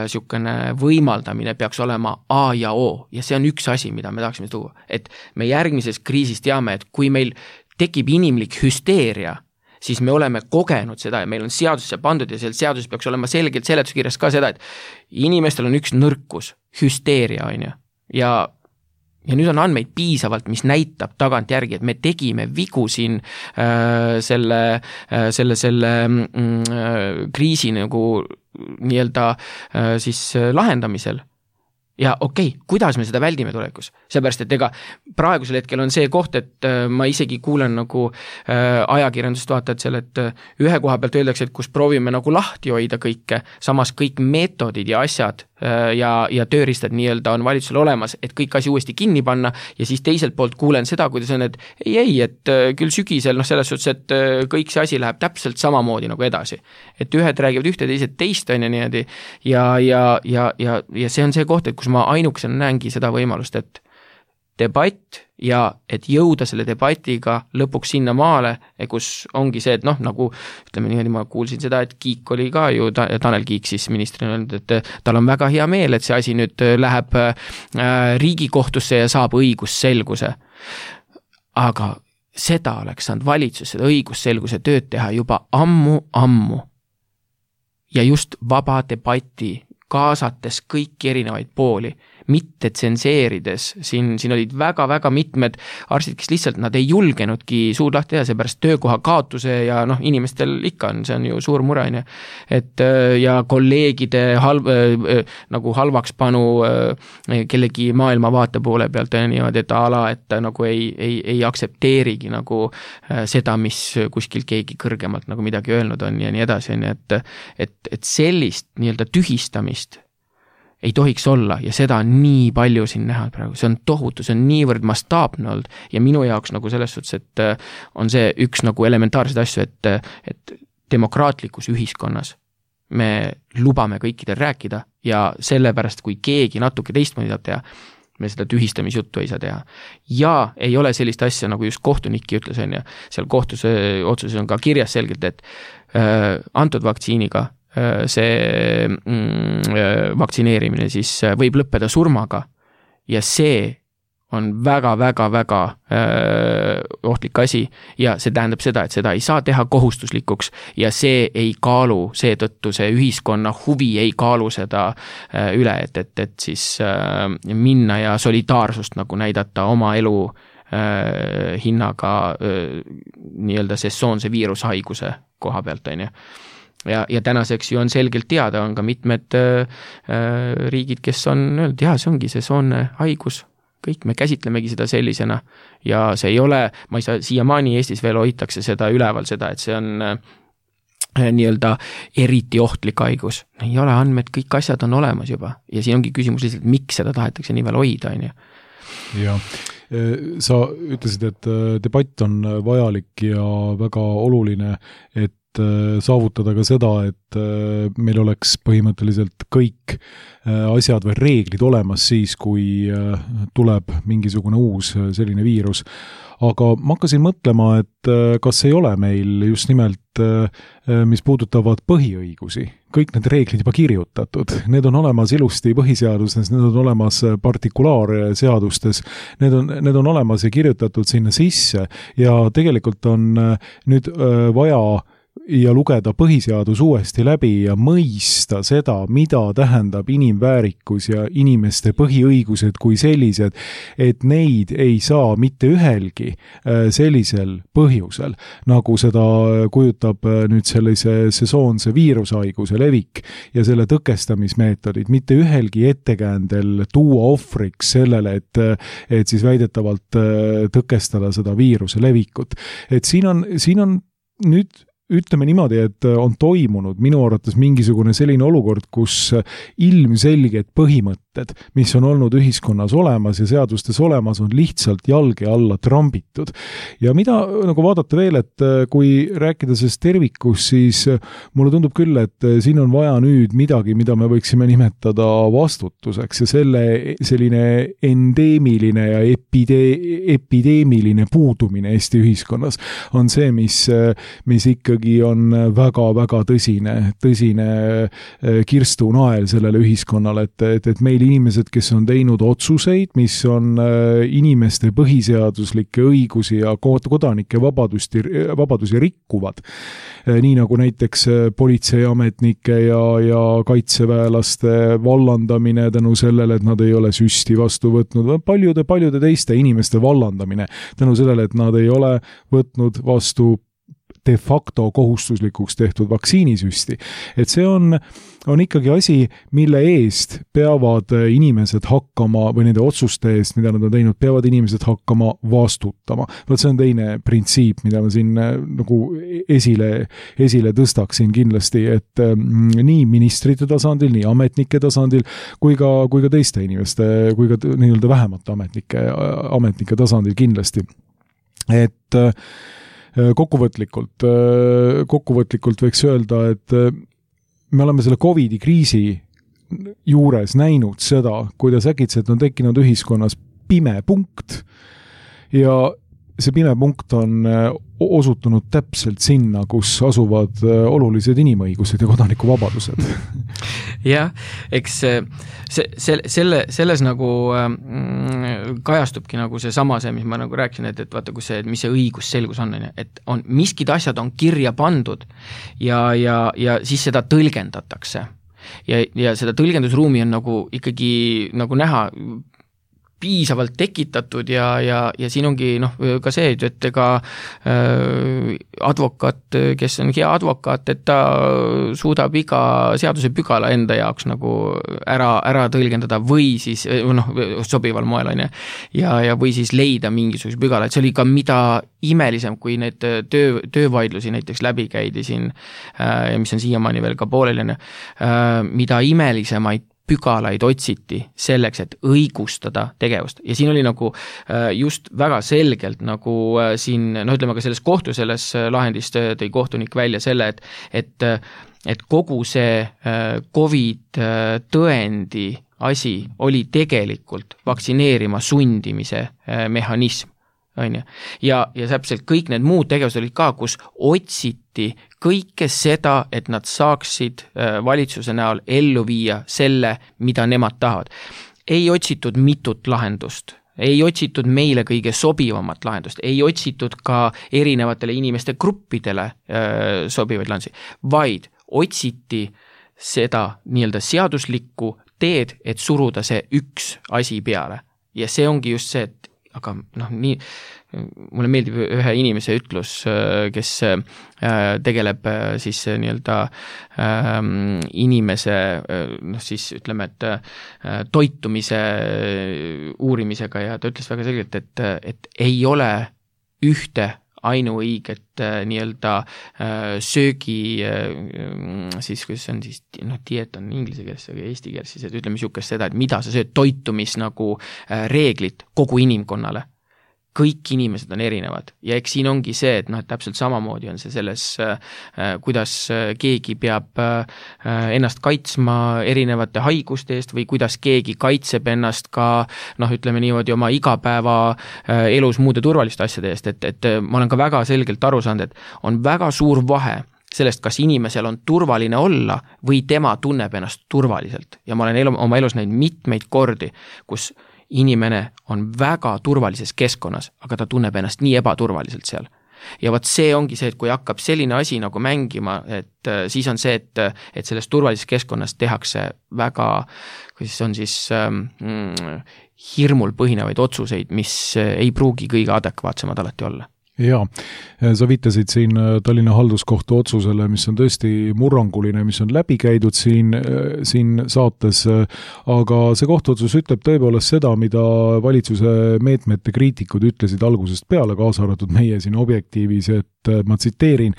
sükene võimaldamine peaks olema A ja O ja see on üks asi, mida me tahaksime tuua, et me järgmises kriisis teame, et kui meil tekib inimlik hüsteeria, siis me oleme kogenud seda ja meil on seadusesse pandud ja seal seaduses peaks olema selgelt seletuskirjas ka seda, et inimestel on üks nõrkus, hüsteeria on ju ja nüüd on andmeid piisavalt, mis näitab tagant järgi, et me tegime vigu siin selle kriisi nagu nii-öelda siis lahendamisel. Ja okei, kuidas me seda väldime tulevikus? Seepärast, et ega praegusel hetkel on see koht, et ma isegi kuulen nagu ajakirjandust vaatad seal, et ühe koha pealt öeldakse, et kus proovime nagu lahti hoida kõike, samas kõik meetodid ja asjad ja tööriistad nii-öelda on valitsusel olemas, et kõik asi uuesti kinni panna ja siis teiselt poolt kuulen seda, kuidas on, et ei, et küll sügisel, noh selles suhtes, et kõik see asi läheb täpselt samamoodi nagu edasi. Et ühed räägivad ühte, teised teist on ja niimoodi ja see on see koht, et kus ma ainukesena näengi seda võimalust, et debatt ja et jõuda selle debatiga lõpuks sinna maale, kus ongi see, et noh, nagu ütleme niimoodi, ma kuulsin seda, et Kiik oli ka ju, Tanel Kiik siis ministrina öelnud, et tal on väga hea meel, et see asi nüüd läheb Riigikohtusse ja saab õigusselguse. Aga seda oleks saanud valitsus, seda õigusselguse tööd teha juba ammu. Ja just vaba debati kaasates kõiki erinevaid pooli, mitte tsenseerides, siin olid väga-väga mitmed arstid, kes lihtsalt nad ei julgenudki suud lahti teha, seepärast töökoha kaotuse ja noh, inimestel ikka on, see on ju suur mure, et ja kolleegide nagu halvaks panu kellegi maailmavaate poole pealt ja niimoodi, et ala, et nagu ei aksepteerigi nagu seda, mis kuskil keegi kõrgemalt nagu midagi öelnud on ja nii edasi, et sellist nii-öelda tühistamist ei tohiks olla ja seda on nii palju siin näha praegu, see on tohutu, see on niivõrd mastaapne olnud ja minu jaoks nagu selles suhtes, et on see üks nagu elementaarseid asju, et demokraatlikus ühiskonnas me lubame kõikidel rääkida ja sellepärast, kui keegi natuke teistmoodi saab teha, me seda tühistamisjuttu ei saa teha. Ja ei ole sellist asja, nagu just kohtunikki ütles, on ja seal kohtuse otsuses on ka kirjas selgelt, et antud vaktsiiniga see vaktsineerimine siis võib lõppeda surmaga ja see on väga-väga-väga ohtlik asi ja see tähendab seda, et seda ei saa teha kohustuslikuks ja see ei kaalu, seetõttu see ühiskonna huvi ei kaalu seda üle, et siis minna ja solidaarsust nagu näidata oma elu hinnaga nii-öelda sessoonse viirushaiguse koha pealt, on ju. Ja tänaseks ju on selgelt teada, on ka mitmed riigid, kes on öelnud, see ongi sessoonne haigus, kõik me käsitlemegi seda sellisena ja see ei ole, ma ei saa, siiamaani Eestis veel hoitakse seda üleval, seda, et see on nii-öelda eriti ohtlik haigus. Ei ole andmed, kõik asjad on olemas juba ja siin ongi küsimus lihtsalt, miks seda tahetakse nii veel hoida, on ju. Ja sa ütlesid, et debatt on vajalik ja väga oluline, et saavutada ka seda, et meil oleks põhimõtteliselt kõik asjad või reeglid olemas siis, kui tuleb mingisugune uus selline viirus. Aga ma hakkasin mõtlema, et kas ei ole meil just nimelt, mis puudutavad põhiõigusi, kõik need reeglid juba kirjutatud. Need on olemas ilusti põhiseadustes, need on olemas partikulaarseadustes, need on olemas ja kirjutatud sinna sisse ja tegelikult on nüüd vaja ja lugeda põhiseadus uuesti läbi ja mõista seda, mida tähendab inimväärikus ja inimeste põhiõigused kui sellised, et neid ei saa mitte ühelgi sellisel põhjusel, nagu seda kujutab nüüd sellise sesoonse viirushaiguse levik ja selle tõkestamismeetodid, mitte ühelgi ettekäändel tuua ohvriks sellele, et siis väidetavalt tõkestada seda viiruse levikut. Et siin on nüüd ütleme niimoodi, et on toimunud minu arvates mingisugune selline olukord, kus ilmselged põhimõtted, mis on olnud ühiskonnas olemas ja seadustes olemas, on lihtsalt jalge alla trambitud. Ja mida nagu vaadata veel, et kui rääkida sellest tervikus, siis mulle tundub küll, et siin on vaja nüüd midagi, mida me võiksime nimetada vastutuseks ja selline endeemiline ja epideemiline puudumine Eesti ühiskonnas on see, mis ikkagi on väga-väga tõsine kirstunael sellele ühiskonnale, et meil inimesed, kes on teinud otsuseid, mis on inimeste põhiseaduslikke õigusi ja kodanike vabadusi rikkuvad, nii nagu näiteks politseiametnike ja kaitseväelaste vallandamine tänu sellele, et nad ei ole süsti vastu võtnud, paljude teiste inimeste vallandamine tänu sellele, et nad ei ole võtnud vastu de facto kohustuslikuks tehtud vaktsiinisüsti. Et see on ikkagi asi, mille eest peavad inimesed hakkama või nende otsuste eest, mida nad on teinud, peavad inimesed hakkama vastutama. See on teine printsiip, mida ma siin nagu esile tõstaksin kindlasti, et nii ministrite tasandil, nii ametnike tasandil, kui ka teiste inimeste, kui ka nii-öelda vähemate ametnike tasandil kindlasti. Et kokkuvõtlikult võiks öelda, et me oleme selle COVID-i kriisi juures näinud seda, kuidas äkitselt on tekkinud ühiskonnas pime punkt ja see pime punkt on osutunud täpselt sinna, kus asuvad olulised inimõigused ja kodanikuvabadused. Jah, eks selles nagu kajastubki nagu see sama see, mis ma nagu rääkisin, et vaata, kus see, mis see õigusselgus on, et on miskid asjad on kirja pandud ja siis seda tõlgendatakse. Ja seda tõlgendusruumi on nagu ikkagi nagu näha piisavalt tekitatud ja siin ongi ka see, et ega advokaat, kes on hea advokaat, et ta suudab iga seaduse pügala enda jaoks nagu ära tõlgendada või siis sobival moel on ja või siis leida mingisuguse pügala, et see oli ka mida imelisem, kui need töövaidlusi näiteks läbi käidi siin, mis on siiamaani veel ka pooleli, mida imelisemaid pügalaid otsiti selleks, et õigustada tegevust. Ja siin oli nagu just väga selgelt nagu siin, ütleme ka selles kohtu, selles lahendist tõi kohtunik välja selle, et kogu see COVID tõendi asi oli tegelikult vaktsineerima sundimise mehhanism. Ja täpselt kõik need muud tegevused olid ka, kus otsiti kõike seda, et nad saaksid valitsuse näol ellu viia selle, mida nemad tahavad. Ei otsitud mitut lahendust. ei otsitud meile kõige sobivamat lahendust, ei otsitud ka erinevatele inimeste gruppidele sobivaid lahendusi, vaid otsiti seda nii-öelda seaduslikku teed, et suruda see üks asi peale. Ja see ongi just see, et aga nii, mulle meeldib ühe inimese ütlus, kes tegeleb siis nii-öelda inimese, siis ütleme, et toitumise uurimisega ja ta ütles väga selgelt, et ei ole ühte ainuõiget nii-öelda söögi, siis kuidas see on siis, dieet on inglise keeles, aga eesti keeles siis, et ütleme niisugust seda, et mida sa sööd, toitumis nagu reeglid kogu inimkonnale. Kõik inimesed on erinevad ja eks siin ongi see, et et täpselt samamoodi on see selles, kuidas keegi peab ennast kaitsma erinevate haiguste eest või kuidas keegi kaitseb ennast ka, ütleme niimoodi oma igapäeva elus muude turvaliste asjade eest, et ma olen ka väga selgelt aru saanud, et on väga suur vahe sellest, kas inimesel on turvaline olla või tema tunneb ennast turvaliselt ja ma olen oma elus näinud mitmeid kordi, kus inimene on väga turvalises keskkonnas, aga ta tunneb ennast nii ebaturvaliselt seal. Ja võt see ongi see, et kui hakkab selline asi nagu mängima, et siis on see, et selles turvalises keskkonnas tehakse väga, kuidas on siis hirmul põhinevaid otsuseid, mis ei pruugi kõige adekvaatsemad alati olla. Jaa, sa viitasid siin Tallinna halduskohtu otsusele, mis on tõesti murranguline, mis on läbi käidud siin saates, aga see kohtuotsus ütleb tõepoolest seda, mida valitsuse meetmete kriitikud ütlesid algusest peale, kaasa arvatud meie siin Objektiivis, et ma tsiteerin,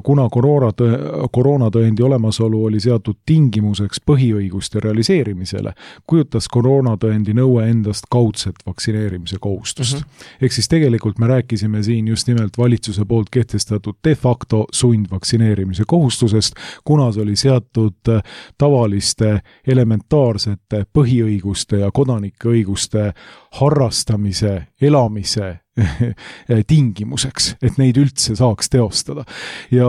kuna koroonatõendi olemasolu oli seatud tingimuseks põhiõiguste realiseerimisele, kujutas koroonatõendi nõue endast kaudset vaktsineerimise kohustust. Ehk siis tegelikult me rääkisime siin just nimelt valitsuse poolt kehtestatud de facto sundvaktsineerimise kohustusest, kuna see oli seatud tavaliste elementaarsete põhiõiguste ja kodanike õiguste harrastamise, elamise tingimuseks, et neid üldse saaks teostada. Ja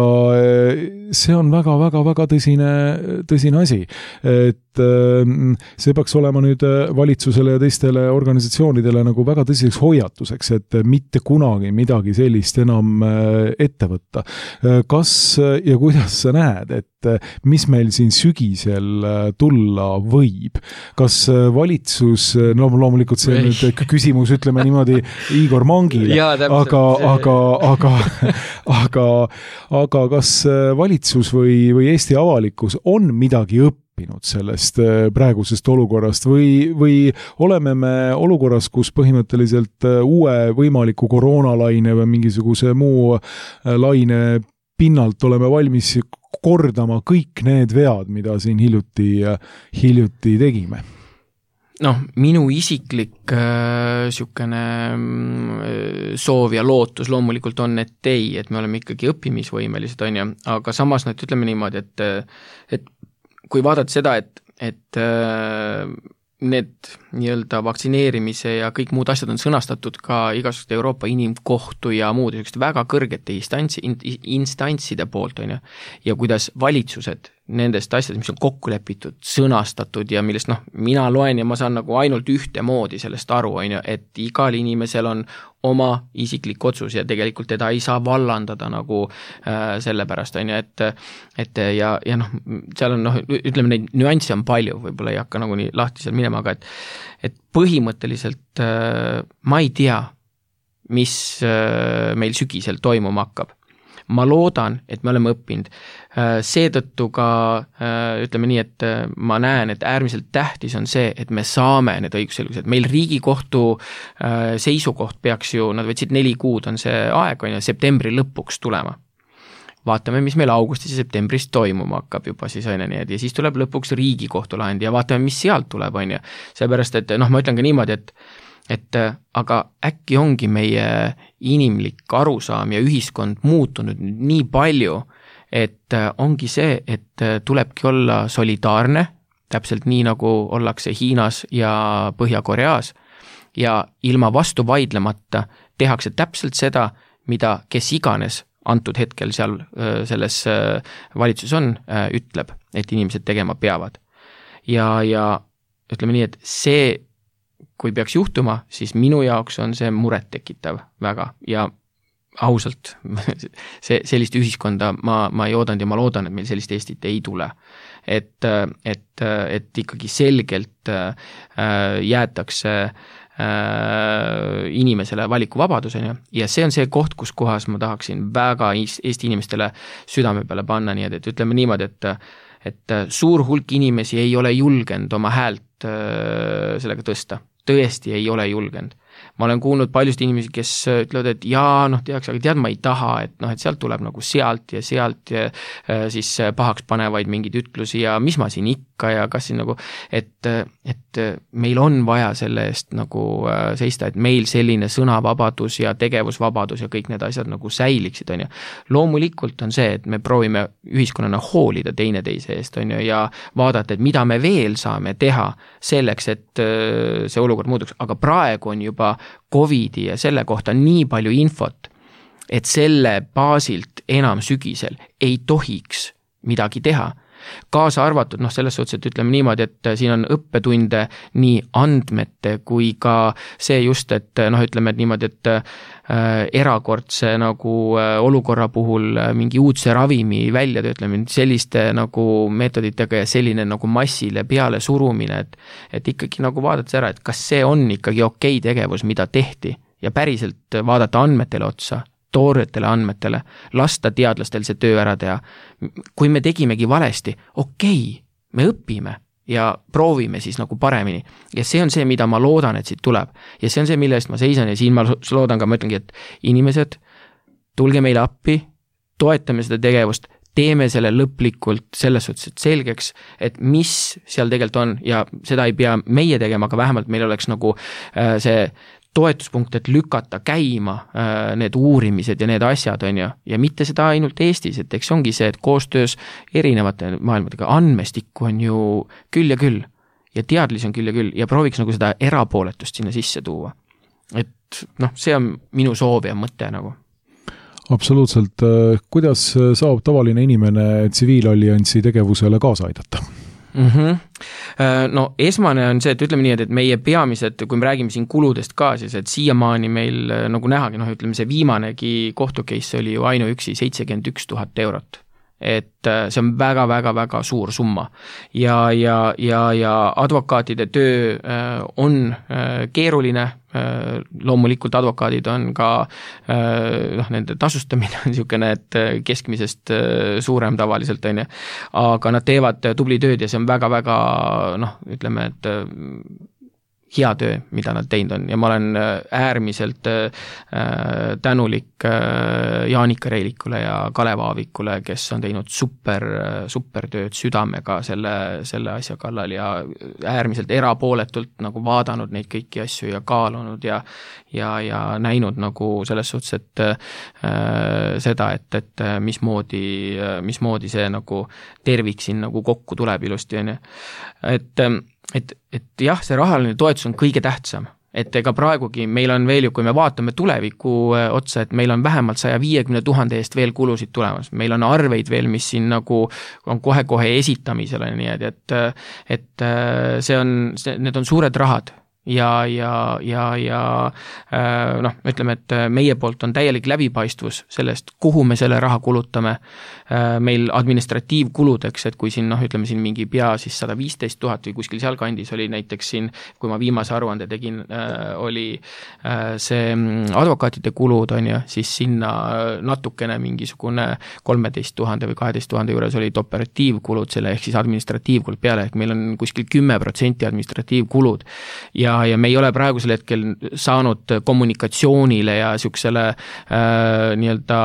see on väga tõsine asi, et see peaks olema nüüd valitsusele ja teistele organisatsioonidele nagu väga tõsiseks hoiatuseks, et mitte kunagi midagi sellist enam ette võtta. Kas ja kuidas sa näed, et mis meil siin sügisel tulla võib? Kas valitsus, loomulikult see on nüüd küsimus, ütleme niimoodi Igor Mangile, aga kas valitsus või Eesti avalikkus on midagi õppinud sellest praegusest olukorrast või oleme me olukorras, kus põhimõtteliselt uue võimaliku koroonalaine või mingisuguse muu laine pinnalt oleme valmis kordama kõik need vead, mida siin hiljuti tegime? Minu isiklik sükene soov ja lootus loomulikult on, et me oleme ikkagi õppimisvõimelised, on ju, aga samas ütleme niimoodi, et kui vaadata seda, et need nii-öelda vaktsineerimise ja kõik muud asjad on sõnastatud ka igasuguste Euroopa Inimkohtu ja muud väga kõrgete instantside poolt, on ju, ja kuidas valitsused nendest asjadest, mis on kokku lepitud, sõnastatud ja millest mina loen ja ma saan nagu ainult ühtemoodi sellest aru, on ju, et igal inimesel on oma isiklik otsus ja tegelikult teda ei saa vallandada nagu sellepärast, on ju, et ja seal on ütleme, neid nüansse on palju, võib-olla ei hakka nagu nii lahti seal minema, aga et põhimõtteliselt ma ei tea, mis meil sügisel toimuma hakkab. Ma loodan, et me oleme õppinud. Seetõttu ka ütleme nii, et ma näen, et äärmiselt tähtis on see, et me saame need õigusselgused. Meil Riigikohtu seisukoht peaks ju, nad võtsid 4 kuud on see aeg, on ju, septembri lõpuks tulema. Vaatame, mis meil augustis ja septembris toimuma hakkab juba siis on ja siis tuleb lõpuks Riigikohtu lahend ja vaatame, mis sealt tuleb, on ju. Seepärast, et ma ütlen ka niimoodi, et aga äkki ongi meie inimlik arusaam ja ühiskond muutunud nii palju, et ongi see, et tulebki olla solidaarne, täpselt nii nagu ollakse Hiinas ja Põhja-Koreas ja ilma vastu vaidlemata tehakse täpselt seda, mida kes iganes antud hetkel seal selles valitsus on, ütleb, et inimesed tegema peavad. Ja ütleme nii, et see kui peaks juhtuma, siis minu jaoks on see muret tekitav väga ja ausalt, sellist ühiskonda ma ei oodanud ja ma loodan, et meil sellist Eestit ei tule. Et ikkagi selgelt jäetakse inimesele valikuvabaduseni ja see on see koht, kus kohas ma tahaksin väga Eesti inimestele südame peale panna, nii et ütleme niimoodi, et suur hulk inimesi ei ole julgenud oma häält sellega tõsta. Tõesti ei ole julgenud. Ma olen kuulnud paljust inimesi, kes ütlevad, et jaa, aga ma ei taha, et sealt tuleb nagu sealt ja siis pahaks panevaid mingeid ütlusi ja mis ma siin ikka ja kas siin nagu, et meil on vaja selle eest nagu seista, et meil selline sõnavabadus ja tegevusvabadus ja kõik need asjad nagu säiliksid, on ju. Loomulikult on see, et me proovime ühiskonnana hoolida teineteise eest, on ju, ja vaadata, et mida me veel saame teha selleks, et see olukord muutuks, aga praegu on juba Covidi ja selle kohta nii palju infot, et selle baasilt enam sügisel ei tohiks midagi teha. Kaasa arvatud, selles suhtes, et ütleme niimoodi, et siin on õppetunde nii andmete kui ka see just, et ütleme et niimoodi, et erakordse nagu olukorra puhul mingi uudse ravimi väljatöötlemine, selliste nagu meetoditega ja selline nagu massile peale surumine, et ikkagi nagu vaadata ära, et kas see on ikkagi okei tegevus, mida tehti ja päriselt vaadata andmetele otsa, tooretele andmetele, lasta teadlastel see töö ära teha. Kui me tegimegi valesti, okei, me õpime ja proovime siis nagu paremini. Ja see on see, mida ma loodan, et siit tuleb. Ja see on see, mille eest ma seisan ja siin ma loodan ka, ma ütlengi, et inimesed, tulge meile appi, toetame seda tegevust, teeme selle lõplikult selles suhtes, et selgeks, et mis seal tegelikult on ja seda ei pea meie tegema, aga vähemalt meil oleks nagu see toetuspunkt, et lükata käima need uurimised ja need asjad, on ju, ja mitte seda ainult Eestis, et eks ongi see, et koostöös erinevate maailmadega andmestikku on ju küll ja teadlisi on küll ja prooviks nagu seda erapooletust sinna sisse tuua. Et see on minu soov ja mõte nagu. Absoluutselt. Kuidas saab tavaline inimene tsiviilalliansi tegevusele kaasa aidata? No esmane on see, et ütleme nii, et meie peamised, kui me räägime siin kuludest ka, siis et siiamaani meil nagu nähagi, ütleme see viimanegi kohtucase oli ju ainuüksi 71 000 eurot. Et see on väga suur summa ja advokaatide töö on keeruline, loomulikult advokaadid on ka nende tasustamine on niisugune, et keskmisest suurem tavaliselt on, aga nad teevad tubli tööd ja see on väga ütleme, et hea töö, mida nad teinud on ja ma olen äärmiselt tänulik Jaanika Reilikule ja Kalev Aavikule, kes on teinud super tööd südamega selle asja kallal ja äärmiselt erapooletult nagu vaadanud neid kõiki asju ja kaalunud ja näinud nagu selles suhtes, et seda, et mismoodi see nagu tervik siin nagu kokku tuleb ilusti, on ju. Et jah, see rahaline toetus on kõige tähtsam, et ega praegugi meil on veel ju, kui me vaatame tuleviku otsa, et meil on vähemalt 150 000 eest veel kulusid tulemas, meil on arveid veel, mis siin nagu on kohe esitamisele, nii et need on suured rahad ja ütleme, et meie poolt on täielik läbipaistvus sellest, kuhu me selle raha kulutame. Meil administratiivkuludeks, et kui siin, ütleme siin mingi pea siis 115 000 või kuskil seal kandis oli näiteks siin, kui ma viimase aruande tegin, oli see advokaatide kulud, on ju, siis sinna natukene mingisugune 13 000 või 12 000 juures olid operatiivkulud selle, ehk siis administratiivkulud peale, ehk meil on kuskil 10% administratiivkulud ja me ei ole praegusel hetkel saanud kommunikatsioonile ja niisugusele nii-öelda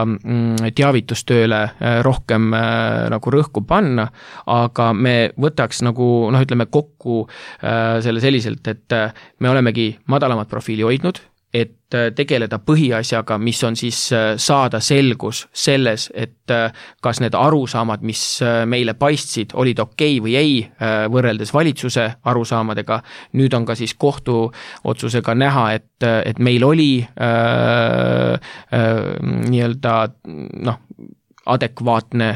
teavitustööle rohkem nagu rõhku panna, aga me võtaks nagu, ütleme kokku selle selliselt, et me olemegi madalamat profiili hoidnud, et tegeleda põhiasjaga, mis on siis saada selgus selles, et kas need arusaamad, mis meile paistsid, olid okei või ei, võrreldes valitsuse arusaamadega. Nüüd on ka siis kohtu otsusega näha, et meil oli nii-öelda adekvaatne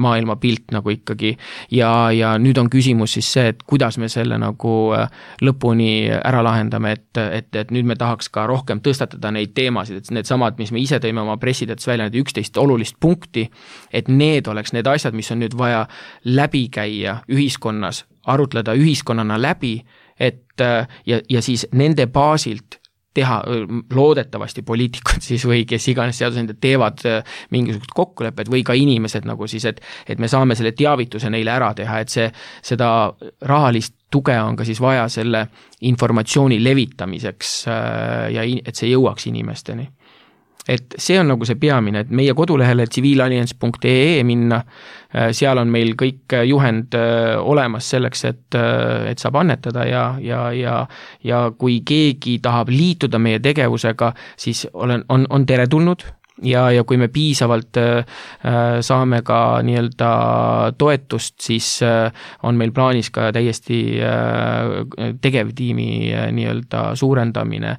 maailmapilt nagu ikkagi ja nüüd on küsimus siis see, et kuidas me selle nagu lõpuni ära lahendame, et nüüd me tahaks ka rohkem tõstatada neid teemasid, et need samad, mis me ise tõime oma pressidetes välja, need 11 olulist punkti, et need oleks need asjad, mis on nüüd vaja läbi käia ühiskonnas, arutleda ühiskonnana läbi, et ja siis nende baasilt teha loodetavasti poliitikud siis või kes iganes seadusandjad teevad mingisugused kokkulepped või ka inimesed nagu siis, et me saame selle teavituse neile ära teha, et seda rahalist tuge on ka siis vaja selle informatsiooni levitamiseks ja et see jõuaks inimesteni. Et see on nagu see peamine, et meie kodulehele civilalliance.ee minna, seal on meil kõik juhend olemas selleks, et saab annetada ja kui keegi tahab liituda meie tegevusega, siis on teretulnud ja kui me piisavalt saame ka nii-öelda toetust, siis on meil plaanis ka täiesti tegevtiimi nii-öelda suurendamine.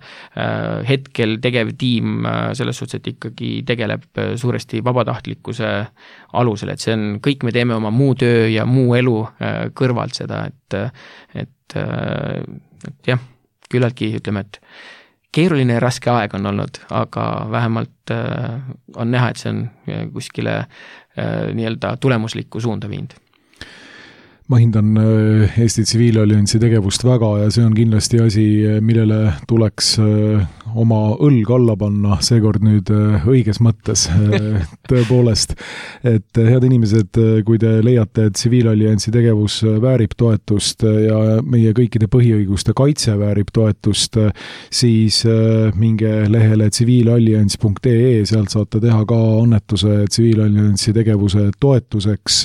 Hetkel tegevtiim selles suhtes, et ikkagi tegeleb suuresti vabatahtlikkuse alusel, et see on, kõik me teeme oma muu töö ja muu elu kõrvalt seda, et jah, küllaltki ütleme, et keeruline ja raske aeg on olnud, aga vähemalt on näha, et see on kuskile nii-öelda tulemuslikku suunda viinud. Ma hindan Eesti Tsiviilalliansi tegevust väga ja see on kindlasti asi, millele tuleks oma õlg alla panna, seekord nüüd õiges mõttes tõepoolest. Et head inimesed, kui te leiate, et Tsiviilalliansi tegevus väärib toetust ja meie kõikide põhiõiguste kaitse väärib toetust, siis minge lehele civilalliance.ee, sealt saate teha ka annetuse Tsiviilalliansi tegevuse toetuseks.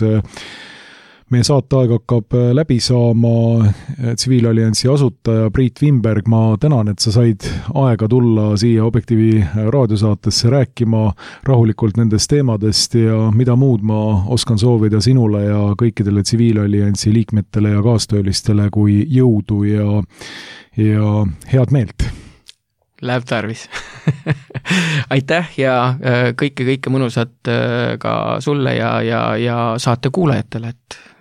Meie saateaeg hakkab läbi saama. Tsiviilalliansi asutaja Priit Wimberg, ma tänan, et sa said aega tulla siia Objektiivi raadiosaatesse rääkima rahulikult nendest teemadest ja mida muud ma oskan soovida sinule ja kõikidele Tsiviilalliansi liikmetele ja kaastöölistele kui jõudu ja head meelt. Läheb tarvis. Aitäh ja kõike mõnusat ka sulle ja saate kuulajatele,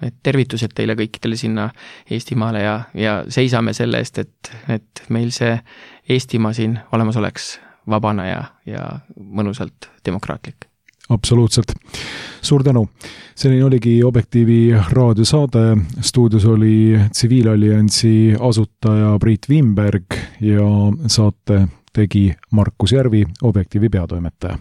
et tervitused teile kõikidele sinna Eestimaale ja seisame selle eest, et meil see Eestimaa siin olemas oleks vabana ja mõnusalt demokraatlik. Absoluutselt. Suur tänu. Selline oligi Objektiivi raadiosaade. Stuudios oli Tsiviilalliansi asutaja Priit Wimberg ja saate tegi Markus Järvi, Objektiivi peatoimetaja.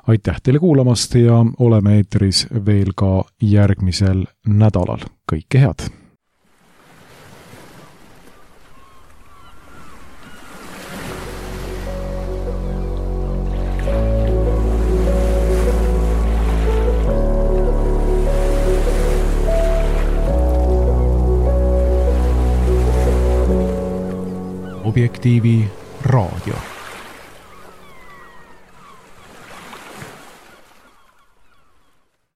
Aitäh teile kuulamast ja oleme eetris veel ka järgmisel nädalal. Kõike head! Objektiivi raadio.